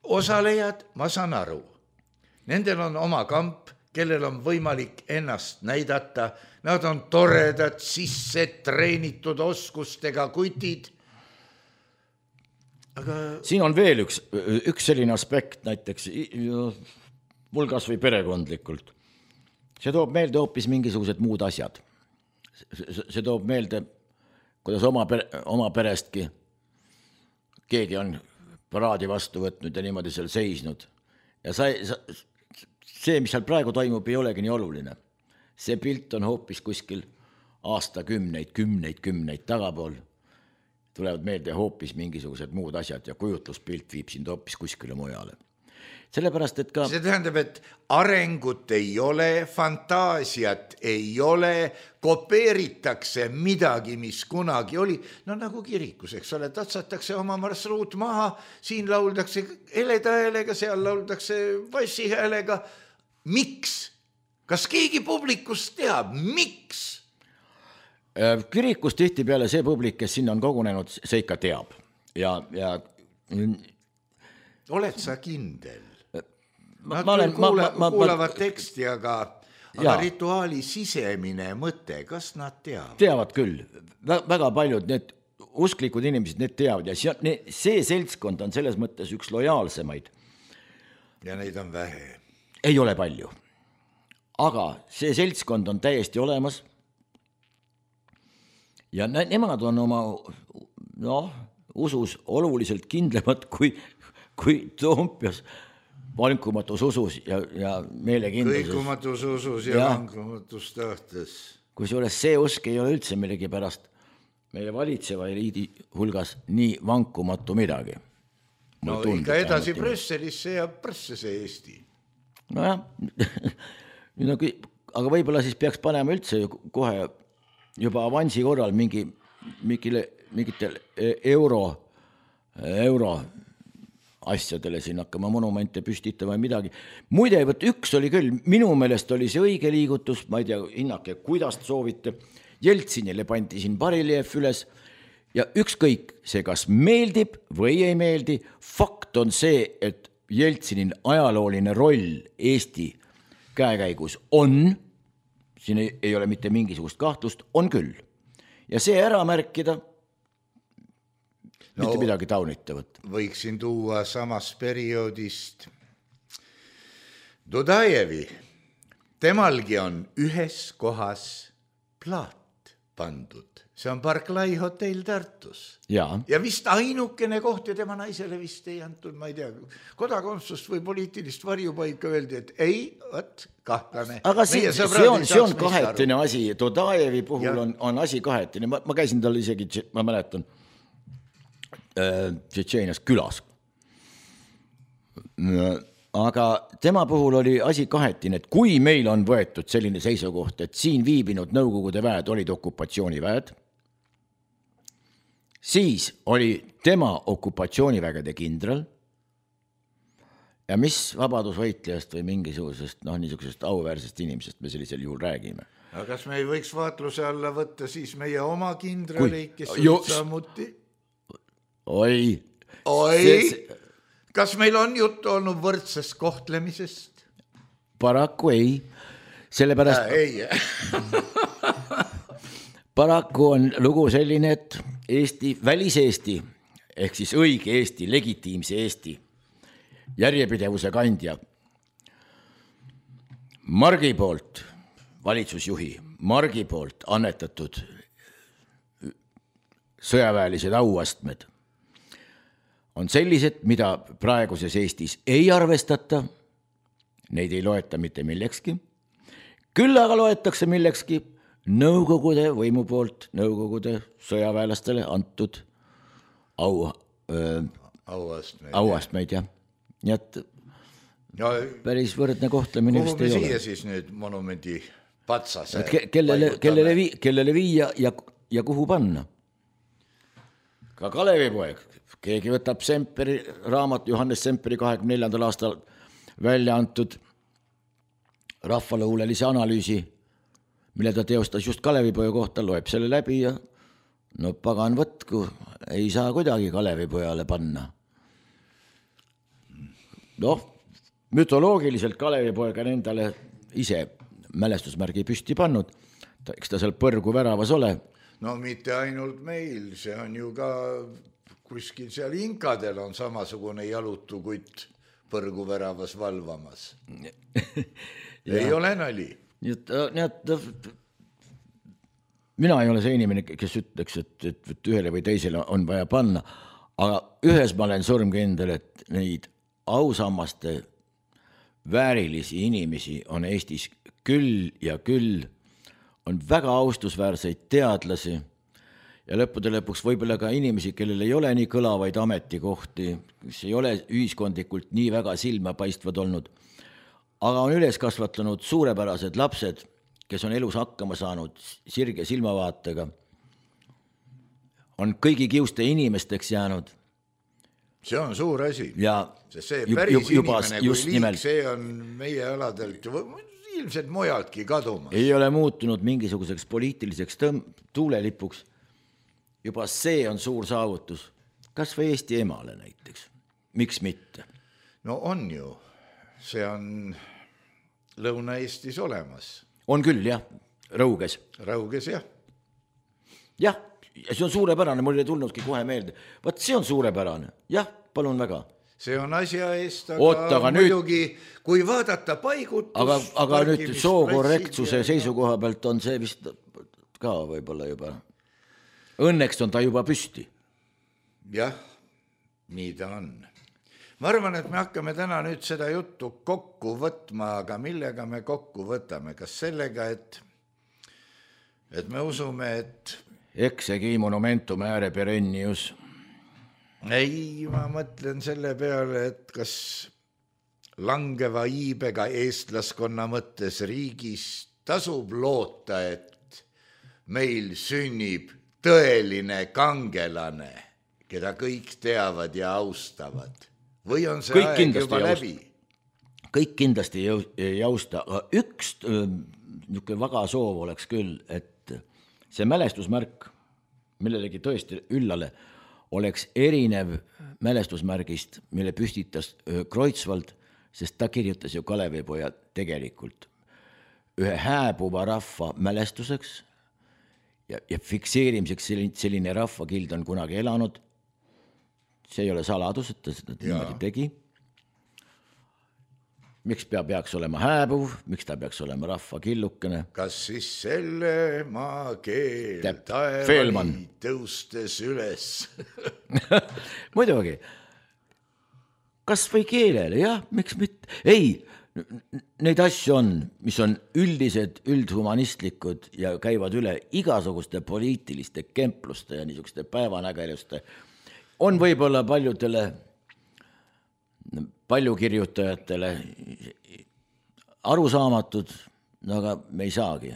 Osalejad, ma saan aru. Nendel on oma kamp, kellel on võimalik ennast näidata. Nad on toredad, sisse treenitud oskustega kutid. Aga... Siin on veel üks selline aspekt näiteks. vulgas või perekondlikult. See toob meelde hoopis mingisugused muud asjad. See toob meelde, kuidas oma perestki keegi on paraadi vastu võtnud ja niimoodi seal seisnud. Ja see, mis seal praegu toimub, ei olegi nii oluline. See pilt on hoopis kuskil aastakümneid, kümneid tagapool. Tulevad meelde hoopis mingisugused muud asjad ja kujutluspilt viib sind hoopis kuskile mujale. Sellepärast, et ka... See tähendab, et arengut ei ole, fantaasiat ei ole, kopeeritakse midagi, mis kunagi oli. No nagu kirikus, eks ole, tatsatakse oma marsruut maha, siin lauldakse heleda häälega, seal lauldakse bassi häälega. Miks? Kas keegi publikust teab? Miks? Kirikus tihti peale see publik, kes sinna on kogunenud, see ikka teab. Ja... Oled sa kindel? Nad kuulavad teksti, aga rituaali sisemine mõte, kas nad teavad? Teavad küll. Väga paljud need usklikud inimesed, need teavad. Ja see seltskond on selles mõttes üks lojaalsemaid. Ja neid on vähe. Ei ole palju. Aga see seltskond on täiesti olemas. Ja nemad on oma usus oluliselt kindlamad kui Toompeas vankumatus usus ja meelekindluses. Kõikumatus usus ja vankumatus tahtes. Kusjuures see usk ei ole üldse millegi pärast meie valitseva eliidi hulgas nii vankumatu midagi. No ikka edasi Brüsselisse ja Brüssese Eesti. Nojah, aga võib-olla siis peaks panema üldse kohe juba avansi korral mingitel euro asjadele siin hakkama monumente püstitama või midagi. Muide, üks oli küll, minu meelest oli see õige liigutus, ma ei tea, hinnake, kuidas soovite. Jeltsinile pandi siin bariljeef üles ja ükskõik see, kas meeldib või ei meeldi, fakt on see, et Jeltsinin ajalooline roll Eesti käekäigus on, siin ei ole mitte mingisugust kahtlust, on küll. Ja see ära märkida, mitte midagi taunitavat. Võiksin tuua samast perioodist Dudajevi. Temalgi on ühes kohas plaat pandud. See on Barclay hotell Tartus. Ja vist ainukene koht ja tema naisele vist ei antud, ma ei tea, kodakondsust või poliitilist varjupaika öeldi, et ei, kahtlane. Aga see on kahetine asi. Dudajevi puhul on asi kahetine. Ma käisin tal isegi, ma mäletan, Tšetšeenias külas. Aga tema puhul oli asi kahetine, et kui meil on võetud selline seisukoht, et siin viibinud Nõukogude väed olid okupatsiooniväed, siis oli tema okupatsioonivägede kindral ja mis vabadusvõitlejast või mingisugusest niisugusest auväärsest inimesest me sellisel juhul räägime. Aga kas me ei võiks vaatluse alla võtta siis meie oma kindraleid, kes olid samuti? Oi. Kas meil on juttu olnud võrdsest kohtlemisest? Paraku ei. Sellepärast... Paraku on lugu selline, et Eesti, väliseesti, ehk siis õige Eesti, legitiimse Eesti, järjepidevuse kandja, Margi poolt, valitsusjuhi, Margi poolt annetatud sõjaväelised auastmed on sellised, mida praeguses Eestis ei arvestata, neid ei loeta mitte millekski, küll aga loetakse millekski Nõukogude võimu poolt, Nõukogude sõjaväelastele antud auastmeid, jah. Nii et päris võrdne kohtlemine vist ei ole. Kuhu me siia siis nüüd monumendi patsase? Kellele viia ja kuhu panna? Ka Kalevipoeg. Keegi võtab Semperi raamat, Johannes Semperi 24. aastal välja antud rahvaluulelise analüüsi, mille ta teostas just Kalevipoja kohta, loeb selle läbi ja pagan võtku, ei saa kuidagi Kalevipojale panna. Mütoloogiliselt Kalevipoeg on endale ise mälestusmärgi püsti pannud, eks ta seal põrgu väravas ole. No mitte ainult meil, see on ju ka kuskil seal inkadel on samasugune jalutu kutt põrguväravas valvamas. Ei ole nali. Mina ei ole see inimene, kes ütleks, et ühele või teisele on vaja panna, aga ühes ma olen surmkindel, et neid ausammaste väärilisi inimesi on Eestis küll ja küll, on väga austusväärseid teadlasi ja lõppude lõpuks võib-olla ka inimesi, kellel ei ole nii kõlavaid ametikohti, kes ei ole ühiskondlikult nii väga silmapaistvad olnud, aga on üles kasvatanud suurepärased lapsed, kes on elus hakkama saanud sirge silmavaatega, on kõigi kiuste inimesteks jäänud. See on suur asi. Ja see päris inimene, kui liik, see on meie aladelt ilmselt mujaltki kadumas. Ei ole muutunud mingisuguseks poliitiliseks tuulelipuks. Juba see on suur saavutus. Kas või Eesti emale näiteks? Miks mitte? No on ju. See on Lõuna-Eestis olemas. On küll, jah. Rõuges. Rõuges, jah. Jah, see on suurepärane. Mul ei tulnudki kohe meelde. Vaat see on suurepärane. Jah, palun väga. See on asja eest, aga muidugi, kui vaadata paigutus... Aga nüüd sookorrektsuse seisukoha pealt on see vist ka võib-olla juba... Õnneks on ta juba püsti. Jah, nii ta on. Ma arvan, et me hakkame täna nüüd seda juttu kokku võtma, aga millega me kokku võtame? Kas sellega, et me usume, et... Eksegi monumentum ääre perennius. Ei, ma mõtlen selle peale, et kas langeva iibega eestlaskonna mõttes riigis tasub loota, et meil sünnib tõeline kangelane, keda kõik teavad ja austavad. Või on see kõik aeg juba läbi? Kõik kindlasti ei austa, aga üks väga soov oleks küll, et see mälestusmärk millelegi tõesti üllale oleks erinev mälestusmärgist, mille püstitas Kreutzwald, sest ta kirjutas ju Kalevipoja tegelikult ühe hääbuva rahva mälestuseks ja fikseerimiseks selline rahvakild on kunagi elanud. See ei ole saladus, et ta seda niimoodi tegi. Miks peaks olema hääbuv, miks ta peaks olema rahvakillukene? Kas siis selle maakeel taevani tõustes üles? Muidugi. Kas või keelele, jah, miks mitte? Ei, neid asju on, mis on üldised, üldhumanistlikud ja käivad üle igasuguste poliitiliste kempluste ja niisuguste päevanägeluste. On võib-olla paljukirjutajatele arusaamatud, aga me ei saagi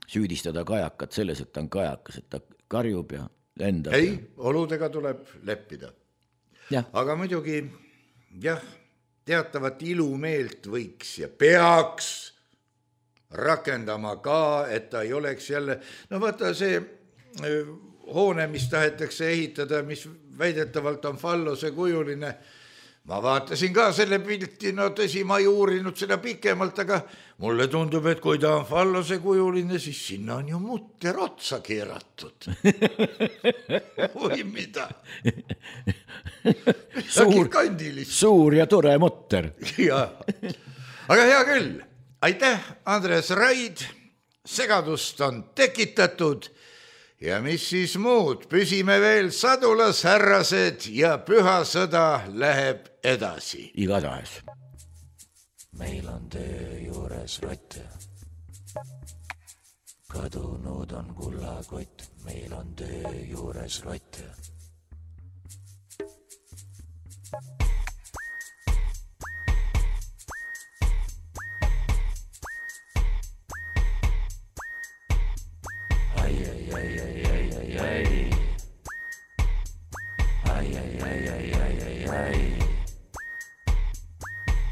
süüdistada kajakat selles, et ta on kajakas, et ta karjub ja lendab. Ei, oludega tuleb leppida. Ja. Aga muidugi, jah, teatavat ilumeelt võiks ja peaks rakendama ka, et ta ei oleks jälle, no vaata see hoone, mis tahetakse ehitada, mis väidetavalt on fallose kujuline. Ma vaatasin ka selle pilti, no tõsi, ma ei uurinud seda pikemalt, aga mulle tundub, et kui ta on fallose kujuline, siis sinna on ju mutter otsa keeratud. Või mida? Suur ja tore mutter. Ja. Aga hea küll. Aitäh, Andres Raid. Segadust on tekitatud. Ja mis siis muud, püsime veel sadulasherrased ja püha sõda läheb edasi. Igatahes. Meil on töö juures rotte. Kadunud on kullakott, meil on töö juures rotte.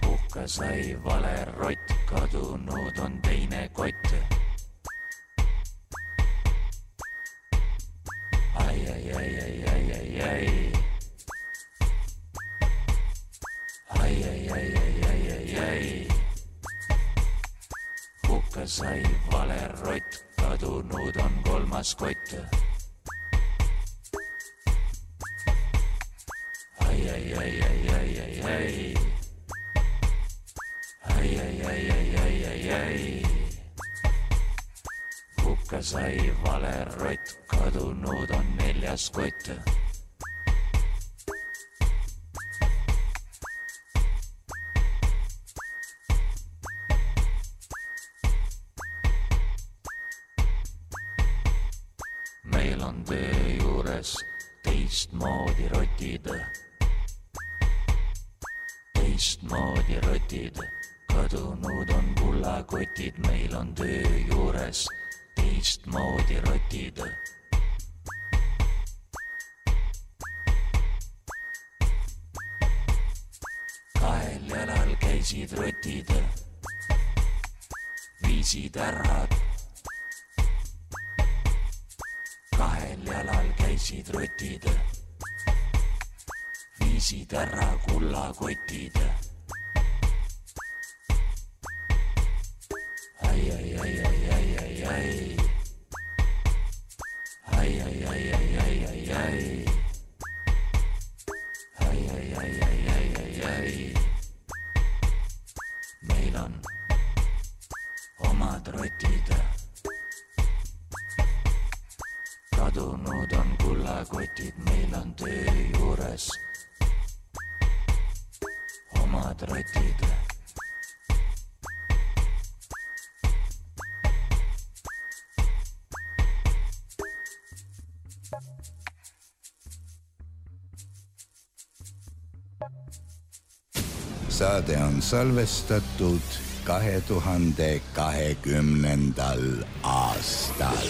Hukka sai vale rott, kadunud on teine kott. Hukka sai vale rott, kadunud on kolmas kott. Ai. hukka sai valerott, kadunud on 4. kott. Meil on töö juures teistmoodi rotid. Teistmoodi rotid, kadunud on kullakotid. Meil on töö juures teistmoodi rotid. Kahel jalal käisid rotid, viisid ära. Kahel jalal käisid rotid, viisid ära kullakotid. Ai, ai, ai, ai, ai, ai, ai. Ai, ai, ai, ai, ai, ai, ai. Ai, ai, ai, ai, ai, ai, ai. Meil on omad rotid. Kadunud on kullakotid, meil on töö juures omad rotid. Saade on salvestatud 2020. aastal.